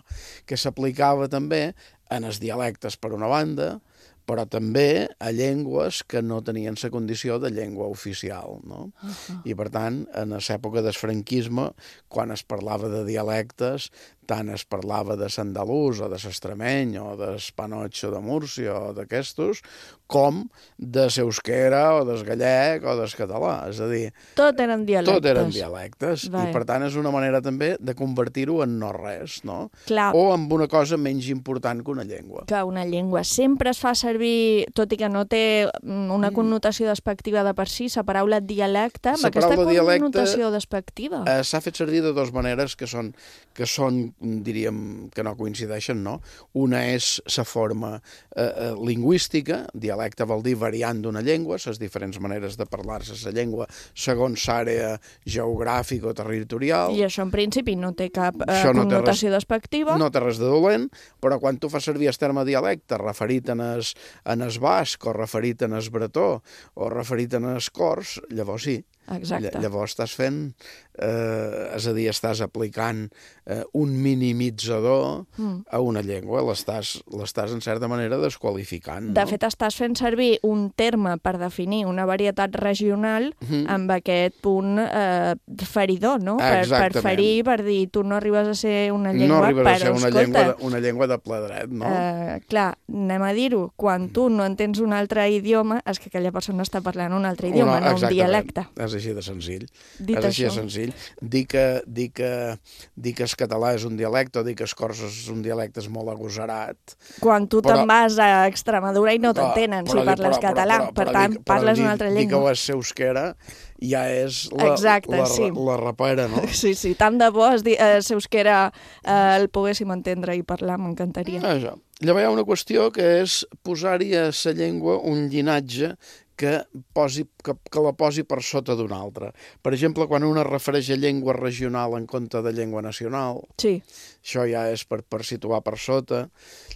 que s'aplicava també en els dialectes per una banda, però també a llengües que no tenien la condició de llengua oficial, no? Uh-huh. I, per tant, en l'època del franquisme, quan es parlava de dialectes, tant es parlava de l'andalús o de l'extremeny o del panotxo de Múrcia o d'aquestos, com de l'euskera o del gallec o del català. És a dir, tot eren dialectes. Tot eren dialectes. Vai. I per tant és una manera també de convertir-ho en no res, no? Clar. O en una cosa menys important que una llengua. Que una llengua sempre es fa servir, tot i que no té una connotació despectiva de per si, la paraula dialecte, amb La aquesta paraula dialecte, connotació despectiva. Eh, S'ha fet servir de dues maneres que són, que són, diríem, que no coincideixen, no? Una és la forma eh, eh, lingüística, dialecte vol dir variant d'una llengua, les diferents maneres de parlar-se la llengua segons l'àrea geogràfica o territorial. I això en principi no té cap eh, Això no té connotació res- despectiva. No té res de dolent, però quan tu fas servir el terme dialecte referit en es, en es basc o referit en es bretó o referit en es cors, llavors sí. Exacte. Ll- Llavors estàs fent, eh, és a dir, estàs aplicant eh, un minimitzador Mm. a una llengua, l'estàs l'estàs en certa manera desqualificant. De no? fet, estàs fent servir un terme per definir una varietat regional Mhm. amb aquest punt eh, feridor, no? Per, per Exactament. ferir, per dir, tu no arribes a ser una No llengua, arribes però a ser una escolta, llengua, de, una llengua de ple dret, no? Eh, clar, anem a dir-ho, quan tu no entens un altre idioma, és que aquella persona està parlant un altre idioma, no un exactament. dialecte. És així de senzill. Dit és així això. de senzill. Dir que, dir, que, dir que el català és un dialecte o dir que el cors és un dialecte és molt agosarat. Quan tu Però- te'n vas a Extremadura i no Però- t'entenen si però dir- parles però- català, però- però- per però tant, dir- però parles dir- una altra Dir que ho llengua. és euskera ja és la, Exacte, la, sí. la rapera, no? Sí, sí, tant de bo es di, eh, si euskera eh, el poguéssim entendre i parlar, m'encantaria. Això. Llavors hi ha una qüestió que és posar-hi a la llengua un llinatge que, posi, que, que la posi per sota d'una altra. Per exemple, quan una refereix a llengua regional en compte de llengua nacional, sí. això ja és per, per situar per sota.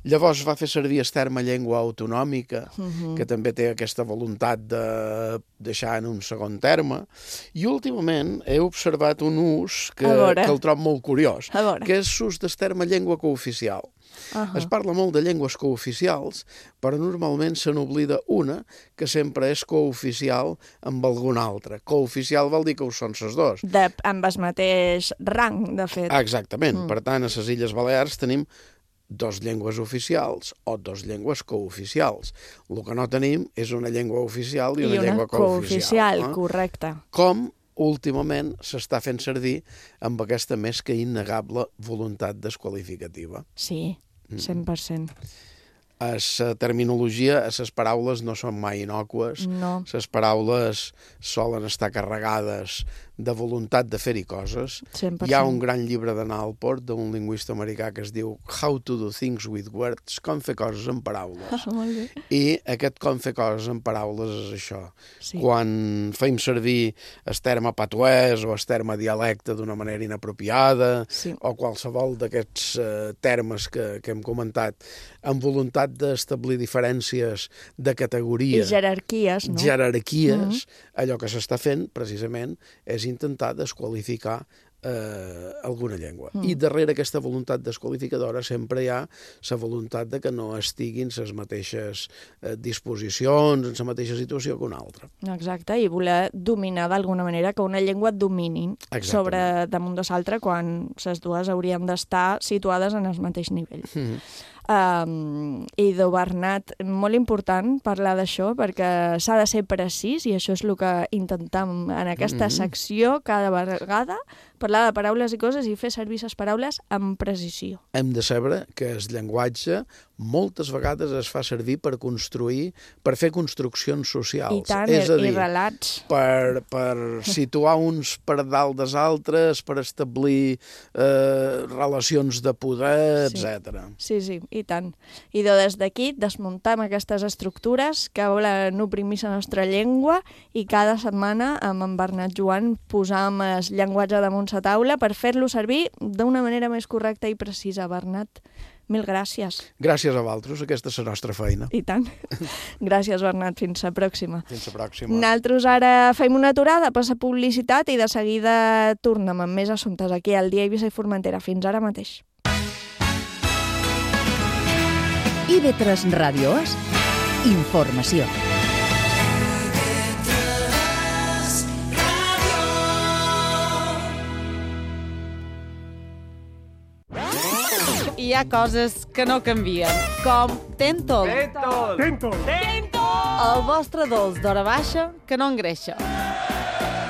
Llavors va fer servir el terme llengua autonòmica, Mhm. que també té aquesta voluntat de deixar en un segon terme. I últimament he observat un ús que, A veure. que el trobo molt curiós, A veure. que és l'ús del terme llengua cooficial. Ahà. Es parla molt de llengües cooficials, però normalment se n'oblida una, que sempre és cooficial amb alguna altra. Cooficial vol dir que ho són ses dos. De, amb el mateix rang, de fet. Exactament. Mm. Per tant, a les Illes Balears tenim dos llengües oficials o dos llengües cooficials. El que no tenim és una llengua oficial i, I una, una llengua cooficial. cooficial, correcte. Com últimament s'està fent servir amb aquesta més que innegable voluntat desqualificativa. Sí, cent per cent. A la terminologia, a les paraules no són mai innocues. No. Les paraules solen estar carregades de voluntat de fer-hi coses. cent per cent. Hi ha un gran llibre de Nalport, d'un lingüista americà, que es diu How to do things with words, com fer coses amb paraules. Ah, molt bé. I aquest com fer coses amb paraules és això. Sí. Quan feim servir el terme patuès o el terme dialecte d'una manera inapropiada, sí. o qualsevol d'aquests eh, termes que, que hem comentat, amb voluntat d'establir diferències de categoria. I jerarquies, no? Jerarquies. Mhm. Allò que s'està fent, precisament, és intentar desqualificar eh, alguna llengua. Mm. I darrere aquesta voluntat desqualificadora sempre hi ha la voluntat de que no estiguin les mateixes eh, disposicions, en la mateixa situació que una altra. Exacte, i voler dominar d'alguna manera, que una llengua et domini sobre damunt de l'altra quan les dues haurien d'estar situades en el mateix nivell. Mm. Um, I do Bernat, molt important parlar d'això perquè s'ha de ser precís i això és el que intentem en aquesta Mhm. secció cada vegada, parlar de paraules i coses i fer servir les paraules amb precisió. Hem de saber que el llenguatge moltes vegades es fa servir per construir, per fer construccions socials. I tant, és a i dir, relats. Per, per situar uns per dalt dels altres, per establir eh, relacions de poder, Sí. etcètera. Sí, sí, i tant. I de des d'aquí desmuntem aquestes estructures que volen oprimir la nostra llengua i cada setmana amb en Bernat Joan posam el llenguatge damunt la taula per fer-lo servir d'una manera més correcta i precisa. Bernat, mil gràcies. Gràcies a vosaltres, aquesta és la nostra feina. I tant. Gràcies, Bernat. Fins la pròxima. Fins la pròxima. Nosaltres ara fem una aturada per la publicitat i de seguida tornem amb més assumptes aquí al Dia Eivissa i Formentera. Fins ara mateix. I V tres Ràdio És informació. hi ha coses que no canvien, com Tentol. Tentol. Tentol. Tentol. El vostre dolç d'hora baixa que no engreixa.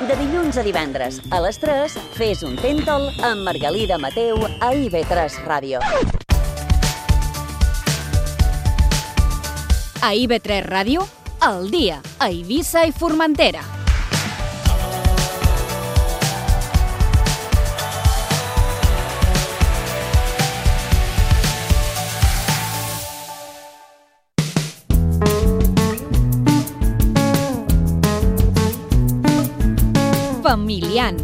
De dilluns a divendres, a les tres, fes un Tentol amb Margalida Mateu a I V tres Ràdio. A I V tres Ràdio, al dia, a Eivissa i Formentera. Familiant.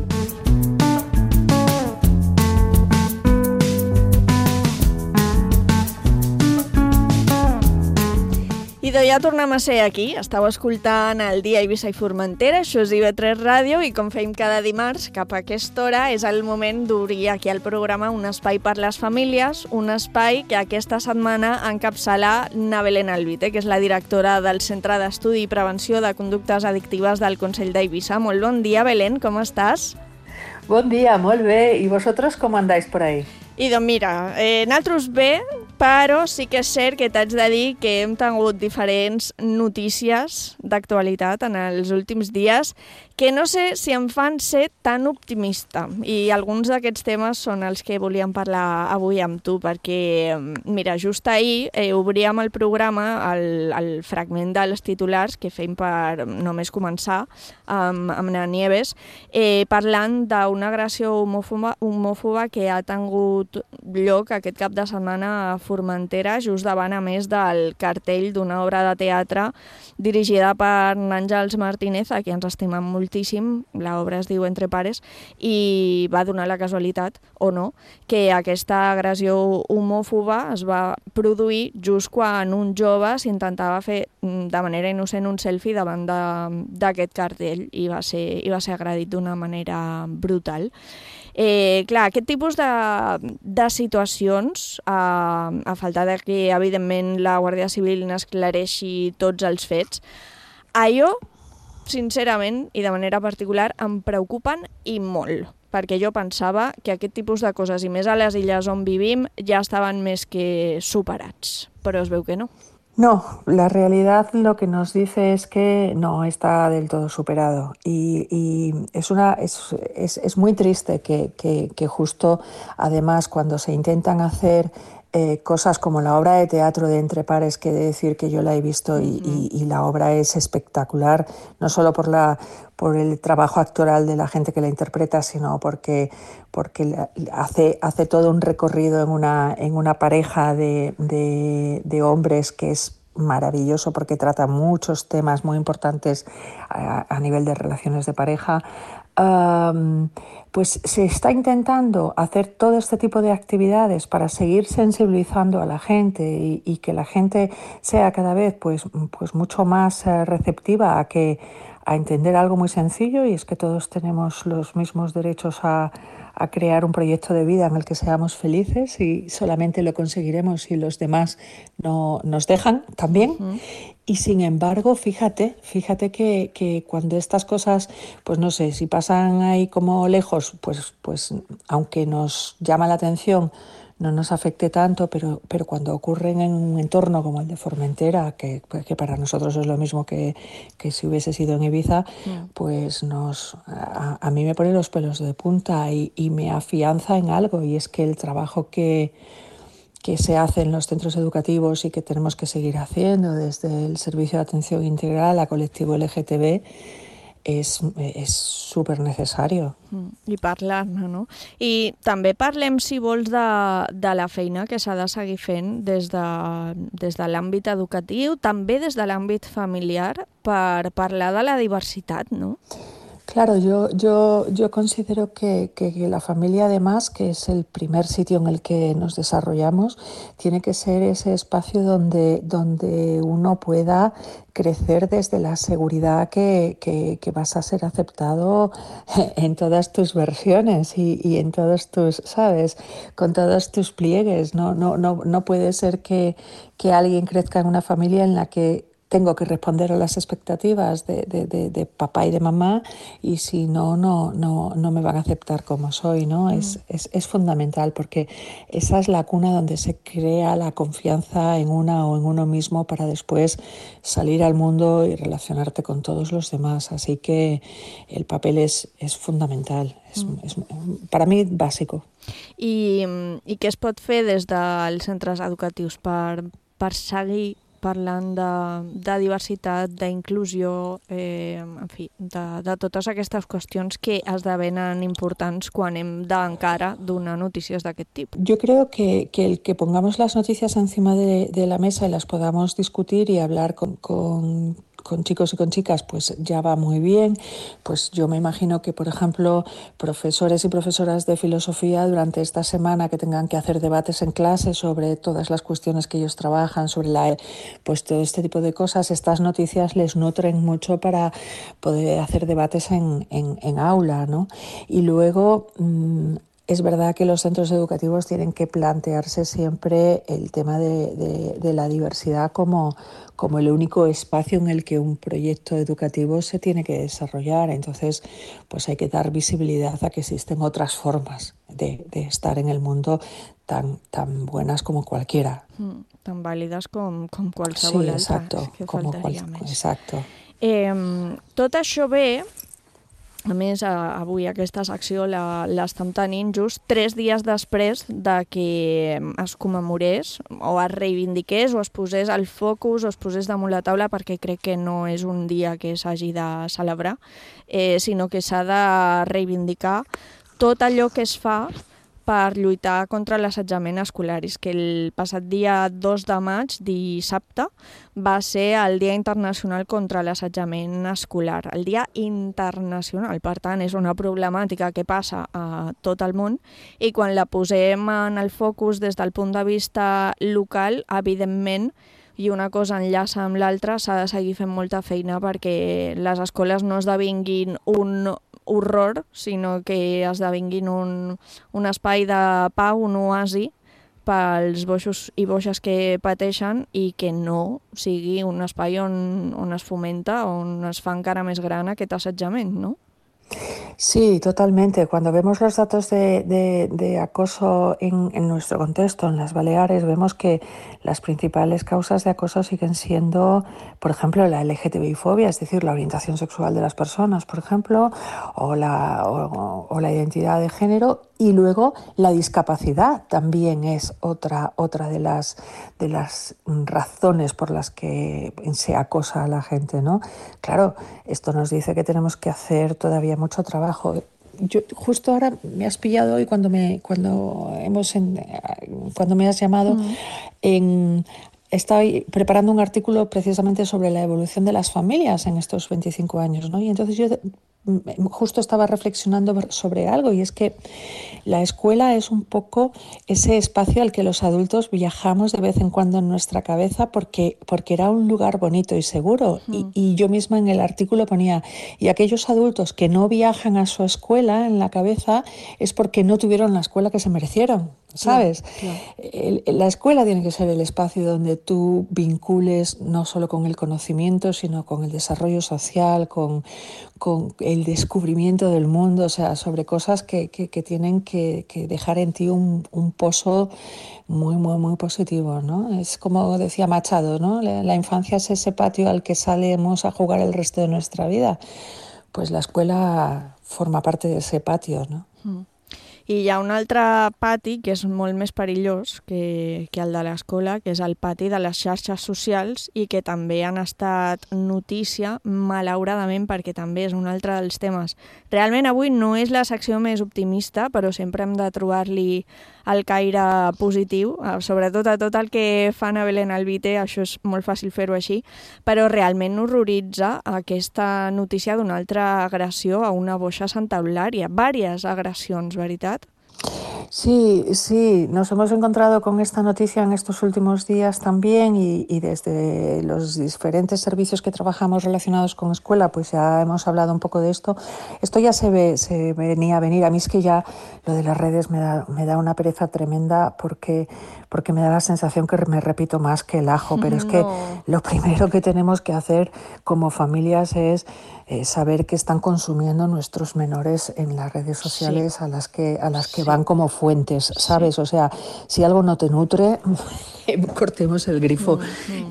Idò, ja tornem a ser aquí. Estàu escoltant el dia Eivissa i Formentera, això és I V tres Ràdio, i com fem cada dimarts, cap a aquesta hora, és el moment d'obrir aquí al programa un espai per les famílies, un espai que aquesta setmana encapçala na Belén Alvite, que és la directora del Centre d'Estudi i Prevenció de Conductes Addictives del Consell d'Eivissa. Molt bon dia, Belén, com estàs? Bon dia, molt bé. I vosaltres com andáis por ahí? I doncs mira, eh, nosaltres bé, però sí que és cert que t'haig de dir que hem tingut diferents notícies d'actualitat en els últims dies que no sé si em fan ser tan optimista, i alguns d'aquests temes són els que volíem parlar avui amb tu, perquè, mira, just ahir eh, obríem el programa, el, el fragment dels titulars que fem per només començar amb, amb na Nieves, eh, parlant d'una agressió homòfoba, homòfoba que ha tingut lloc aquest cap de setmana a Formentera, just davant, a més, del cartell d'una obra de teatre dirigida per Àngels Martínez, a qui ens estimem moltíssim. L'obra es diu Entre pares, i va donar la casualitat, o no, que aquesta agressió homòfoba es va produir just quan un jove s'intentava fer de manera innocent un selfie davant d'aquest cartell i va ser, i va ser agredit d'una manera brutal. Eh, clar, aquest tipus de, de situacions, a, a falta de que, evidentment, la Guàrdia Civil n'esclareixi tots els fets, allò, sincerament, i de manera particular, em preocupen i molt, perquè jo pensava que aquest tipus de coses, i més a les illes on vivim, ja estaven més que superats, però es veu que no. No, la realidad lo que nos dice es que no está del todo superado, y, y es, una, es, es, es muy triste que, que, que justo, además, cuando se intentan hacer eh, cosas como la obra de teatro de Entre pares, que he de decir que yo la he visto y, y, y la obra es espectacular, no solo por, la, por el trabajo actoral de la gente que la interpreta, sino porque, porque hace, hace todo un recorrido en una, en una pareja de, de, de hombres que es maravilloso, porque trata muchos temas muy importantes a, a nivel de relaciones de pareja. Um, pues se está intentando hacer todo este tipo de actividades para seguir sensibilizando a la gente y, y que la gente sea cada vez pues, pues mucho más uh, receptiva a, que, a entender algo muy sencillo, y es que todos tenemos los mismos derechos a, a crear un proyecto de vida en el que seamos felices, y solamente lo conseguiremos si los demás no, nos dejan también. Uh-huh. Y sin embargo, fíjate, fíjate que, que cuando estas cosas, pues no sé, si pasan ahí como lejos, pues, pues aunque nos llama la atención, no nos afecte tanto, pero, pero cuando ocurren en un entorno como el de Formentera, que, que para nosotros es lo mismo que, que si hubiese sido en Ibiza, mm. pues nos, a, a mí me pone los pelos de punta y, y me afianza en algo, y es que el trabajo que, que se hace en los centros educativos y que tenemos que seguir haciendo desde el Servicio de Atención Integral a Colectivo L G T B és és super necessari. Mm, I parlar-ne, no? I també parlem, si vols, de, de la feina que s'ha de seguir fent des de, des de l'àmbit educatiu, també des de l'àmbit familiar, per parlar de la diversitat, no? Claro, yo, yo, yo considero que, que, que la familia, además, que es el primer sitio en el que nos desarrollamos, tiene que ser ese espacio donde, donde uno pueda crecer desde la seguridad que, que, que vas a ser aceptado en todas tus versiones y, y en todos tus, ¿sabes?, con todos tus pliegues. No, no, no, no puede ser que, que alguien crezca en una familia en la que tengo que responder a las expectativas de, de, de, de papá y de mamá, y si no, no, no, no me van a aceptar como soy, ¿no? Mm. Es, es, es fundamental, porque esa es la cuna donde se crea la confianza en una o en uno mismo para después salir al mundo y relacionarte con todos los demás. Así que el papel es, es fundamental, es, mm. es para mí bàsico. I, I què es pot fer des dels centres educatius per, per seguir parlant de, de diversitat, d'inclusió, eh, en fi, de, de totes aquestes qüestions que esdevenen importants quan hem d'encara donar notícies d'aquest tipus? Yo creo que, que el que pongamos las noticias encima de, de la mesa y las podamos discutir y hablar con, con con chicos y con chicas, pues ya va muy bien. Pues yo me imagino que, por ejemplo, profesores y profesoras de filosofía durante esta semana que tengan que hacer debates en clase sobre todas las cuestiones que ellos trabajan, sobre la, pues todo este tipo de cosas, estas noticias les nutren mucho para poder hacer debates en, en, en aula, ¿no? Y luego mmm, es verdad que los centros educativos tienen que plantearse siempre el tema de, de, de la diversidad como, como el único espacio en el que un proyecto educativo se tiene que desarrollar. Entonces, pues hay que dar visibilidad a que existen otras formas de, de estar en el mundo tan, tan buenas como cualquiera. Mm, tan válides com, com qualsevol sí, altra. exacto, que como faltaria cual, més. Exacto. Eh, tot això ve... A més, avui aquesta secció la, l'estem tenint just tres dies després de que es commemorés o es reivindiqués o es posés al focus o es posés damunt la taula, perquè crec que no és un dia que s'hagi de celebrar, eh, sinó que s'ha de reivindicar tot allò que es fa per lluitar contra l'assetjament escolar. És que el passat dia dos de maig, dissabte, va ser el Dia Internacional contra l'Assetjament Escolar. El Dia Internacional, per tant, és una problemàtica que passa a tot el món, i quan la posem en el focus des del punt de vista local, evidentment, i una cosa enllaça amb l'altra, s'ha de seguir fent molta feina perquè les escoles no esdevinguin un horror, sinó que esdevinguin un, un espai de pau, un oasi pels boixos i boixes que pateixen, i que no sigui un espai on, on es fomenta, on es fa encara més gran aquest assetjament, no? Sí, totalmente. Cuando vemos los datos de, de, de acoso en, en nuestro contexto, en las Baleares, vemos que las principales causas de acoso siguen siendo, por ejemplo, la L G T B I fobia, es decir, la orientación sexual de las personas, por ejemplo, o la, o, o la identidad de género, y luego la discapacidad también es otra, otra de las, de las razones por las que se acosa a la gente, ¿no? Claro, esto nos dice que tenemos que hacer todavía mucho trabajo. Yo justo ahora me has pillado hoy cuando me cuando hemos en, cuando me has llamado mm. en estoy preparando un artículo precisamente sobre la evolución de las familias en estos veinticinco años, ¿no? Y entonces yo justo estaba reflexionando sobre algo, y es que la escuela es un poco ese espacio al que los adultos viajamos de vez en cuando en nuestra cabeza porque, porque era un lugar bonito y seguro. Mm. Y, y yo misma en el artículo ponía, y aquellos adultos que no viajan a su escuela en la cabeza es porque no tuvieron la escuela que se merecieron, ¿sabes? Claro, claro. El, la escuela tiene que ser el espacio donde tú vincules no solo con el conocimiento, sino con el desarrollo social, con, con el descubrimiento del mundo, o sea, sobre cosas que, que, que tienen que, que dejar en ti un, un pozo muy, muy, muy positivo, ¿no? Es como decía Machado, ¿no? La, la infancia es ese patio al que salimos a jugar el resto de nuestra vida. Pues la escuela forma parte de ese patio, ¿no? Mm. I hi ha un altre pati que és molt més perillós que, que el de l'escola, que és el pati de les xarxes socials, i que també han estat notícia, malauradament, perquè també és un altre dels temes. Realment avui no és la secció més optimista, però sempre hem de trobar-li el caire positiu, sobretot a tot el que fan a Belén Albite, això és molt fàcil fer-ho així, però realment horroritza aquesta notícia d'una altra agressió a una boixa a Santa Eulària, vàries agressions, veritat? Sí, sí, nos hemos encontrado con esta noticia en estos últimos días también y, y desde los diferentes servicios que trabajamos relacionados con escuela, pues ya hemos hablado un poco de esto. Esto ya se, ve, se venía a venir. A mí es que ya lo de las redes me da, me da una pereza tremenda porque, porque me da la sensación que me repito más que el ajo, pero es que No. lo primero que tenemos que hacer como familias es eh, saber qué están consumiendo nuestros menores en las redes sociales Sí. a las que, a las que Sí. van como fuentes, ¿sabes? O sea, si algo no te nutre, cortemos el grifo.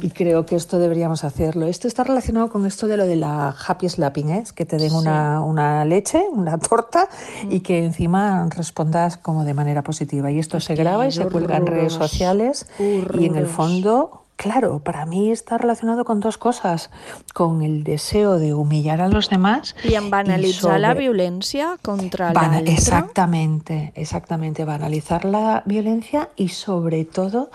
Y creo que esto deberíamos hacerlo. Esto está relacionado con esto de lo de la happy slapping, ¿eh? Que te den Sí. una, una leche, una torta, y que encima respondas como de manera positiva. Y esto se graba y se cuelga en redes horrorós. sociales. Y en el Horrorós. fondo, claro, para mí está relacionado con dos cosas. Con el deseo de humillar a los demás. I en banalitzar y la sobre- violència contra Bana- l'altre. exactamente, exactamente, banalizar la violencia y sobre todo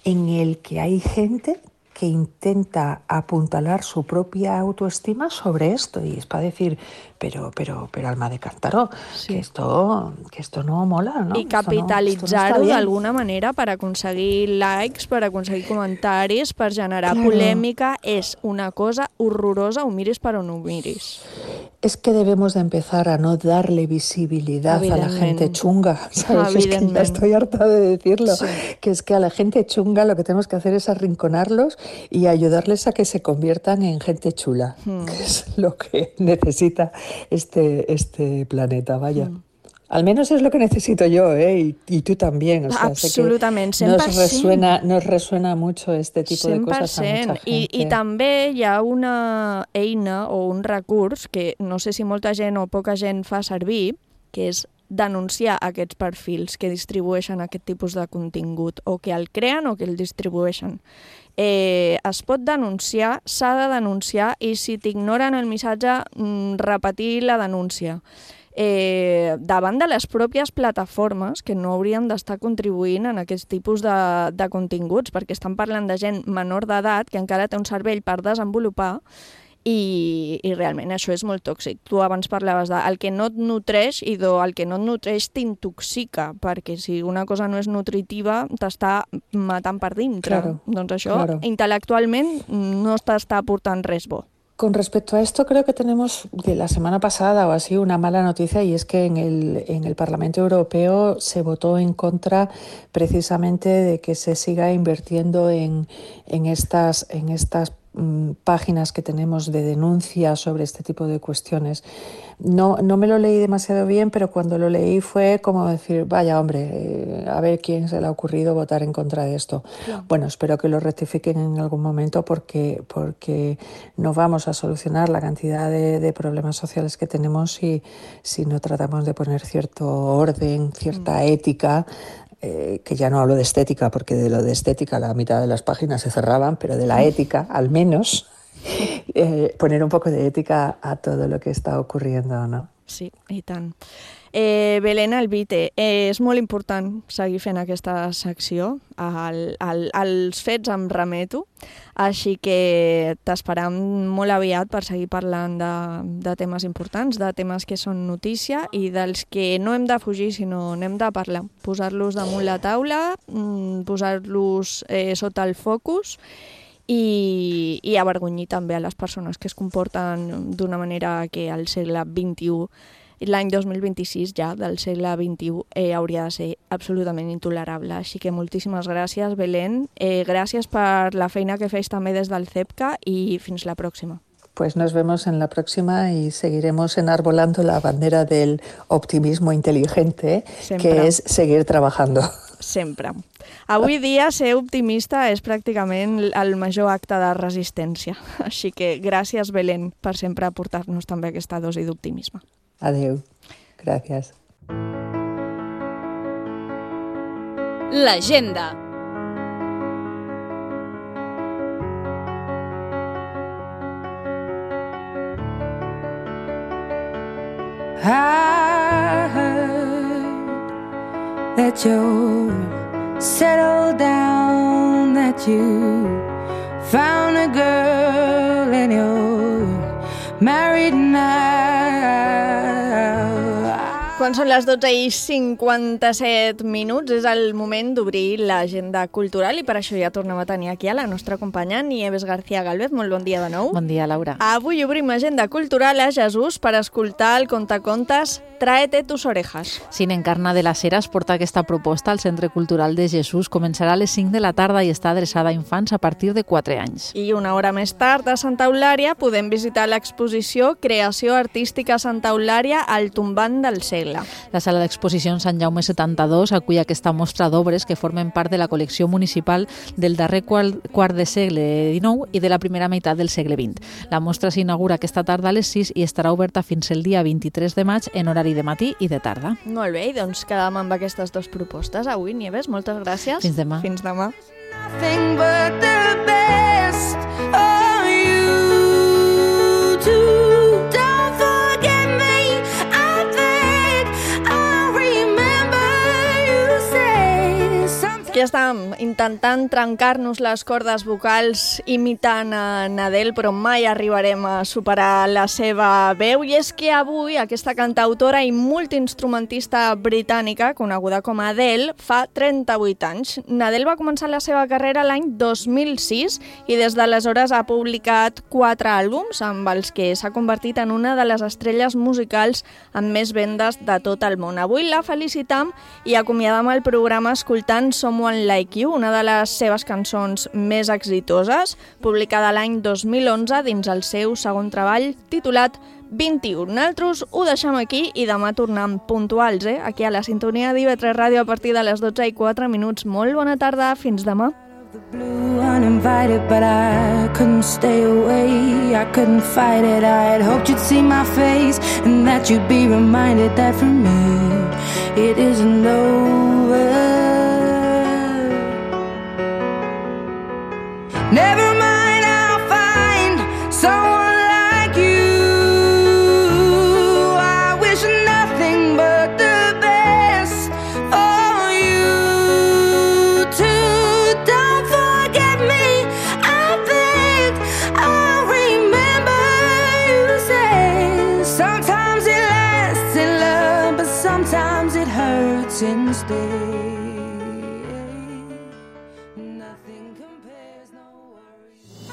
en el que hay gente que intenta apuntalar su propia autoestima sobre esto y es para decir, pero, pero, pero alma de cántaro, que esto, que esto no mola, ¿no? I Esto no- esto no está capitalitzar-ho bien. d'alguna manera per aconseguir likes, per aconseguir comentaris, per generar Claro. polèmica, és una cosa horrorosa, ho miris per on ho miris. Es que debemos de empezar a no darle visibilidad a la gente Evidentment. chunga, ¿sabes? Es que ya Evidentment. estoy harta de decirlo, Sí. que es que a la gente chunga lo que tenemos que hacer es arrinconarlos y ayudarles a que se conviertan en gente chula, Hmm. que es lo que necesita este, este planeta, vaya. Al menos es lo que necesito yo, ¿eh? Y, y tú también. O sea, sé que Absolutament, cent per nos cent. resuena, nos resuena mucho este tipo de cent per cosas a mucha cent. I, gente. I també hi ha una eina o un recurs que no sé si molta gent o poca gent fa servir, que és denunciar aquests perfils que distribueixen aquest tipus de contingut, o que el creen o que el distribueixen. Eh, es pot denunciar, s'ha de denunciar, i si t'ignoren el missatge, mm, repetir la denúncia. Eh, davant de les pròpies plataformes que no haurien d'estar contribuint en aquest tipus de, de continguts, perquè estan parlant de gent menor d'edat que encara té un cervell per desenvolupar i, i realment això és molt tòxic. Tu abans parlaves de el que no et nutreix i do, el que no et nutreix t'intoxica, perquè si una cosa no és nutritiva t'està matant per dintre. Claro, doncs això claro. intel·lectualment no t'està aportant res bo. Con respecto a esto, creo que tenemos de la semana pasada o así una mala noticia y es que en el, en el Parlamento Europeo se votó en contra precisamente de que se siga invirtiendo en, en estas, en estas mm, páginas que tenemos de denuncia sobre este tipo de cuestiones. No, no me lo leí demasiado bien, pero cuando lo leí fue como decir, vaya hombre, eh, a ver quién se le ha ocurrido votar en contra de esto. Claro. Bueno, espero que lo rectifiquen en algún momento porque, porque no vamos a solucionar la cantidad de, de problemas sociales que tenemos si, si no tratamos de poner cierto orden, cierta ética, eh, que ya no hablo de estética, porque de lo de estética la mitad de las páginas se cerraban, pero de la ética, al menos, eh, poner un poco de ética a todo lo que está ocurriendo, ¿no? Sí, i tant. Eh, Belén Albite, eh, és molt important seguir fent aquesta secció. Al, al, als fets em remeto, així que t'esperam molt aviat per seguir parlant de, de temes importants, de temes que són notícia i dels que no hem de fugir, sinó n'hem de parlar. Posar-los damunt la taula, posar-los eh, sota el focus i, i avergonyir també a les persones que es comporten d'una manera que al segle vint-i-u, l'any dos mil vint-i-sis ja del segle vint-i-u, eh, hauria de ser absolutament intolerable. Així que moltíssimes gràcies, Belén. Eh, gràcies per la feina que fes també des del CEPCA i fins la pròxima. Pues nos vemos en la próxima y seguiremos enarbolando la bandera del optimismo inteligente, Sempre. que es seguir trabajando. Sempre. Avui dia ser optimista és pràcticament el major acte de resistència. Així que gràcies, Belén, per sempre aportar-nos també aquesta dosi d'optimisme. Adeu. Gracias. L'agenda. I heard that you're settled down, that you found a girl and you're married now. Quan són les dotze i cinquanta-set minuts és el moment d'obrir l'agenda cultural i per això ja tornem a tenir aquí a la nostra companya Nieves García Galvez. Molt bon dia de nou. Bon dia, Laura. Avui obrim agenda cultural a Jesús per escoltar el contacontes Tráete tus orejas. Cine Encarna de las Heras porta aquesta proposta al Centre Cultural de Jesús. Començarà a les cinc de la tarda i està adreçada a infants a partir de quatre anys. I una hora més tard, a Santa Eulària, podem visitar l'exposició Creació Artística Santa Eulària al tombant del segle. La sala d'exposicions Sant Jaume setanta-dos acull aquesta mostra d'obres que formen part de la col·lecció municipal del darrer quart de segle dinou i de la primera meitat del segle vint. La mostra s'inaugura aquesta tarda a les sis i estarà oberta fins el dia vint-i-tres de maig en horari de matí i de tarda. Molt bé, doncs quedem amb aquestes dues propostes. Avui, Nieves, moltes gràcies. Fins demà. Fins demà. Nothing but the best of you too. Don't forget me, I think I remember you say something. Aquí estàvem intentant trencar-nos les cordes vocals imitant a Adele, però mai arribarem a superar la seva veu. I és que avui aquesta cantautora i multiinstrumentista britànica, coneguda com Adele, fa trenta-vuit anys. Adele va començar la seva carrera l'any dos mil sis i des d'aleshores ha publicat quatre àlbums amb els que s'ha convertit en una de les estrelles musicals amb més vendes de tot el món. Avui la felicitam i acomiadam el programa escoltant Someone Like You, una de les seves cançons més exitoses, publicada l'any dos mil onze dins el seu segon treball titulat vint-i-u. Nosaltres ho deixem aquí i demà tornem puntuals, eh? Aquí a la sintonia d'I V tres Ràdio a partir de les dotze i quatre minuts. Molt bona tarda, fins demà. Blue uninvited, but I couldn't stay away. I couldn't fight it. I had hoped you'd see my face and that you'd be reminded that for me it isn't over. Never mind, I'll find someone like you. I wish nothing but the best for you too. Don't forget me, I think I'll remember you say sometimes it lasts in love, but sometimes it hurts instead.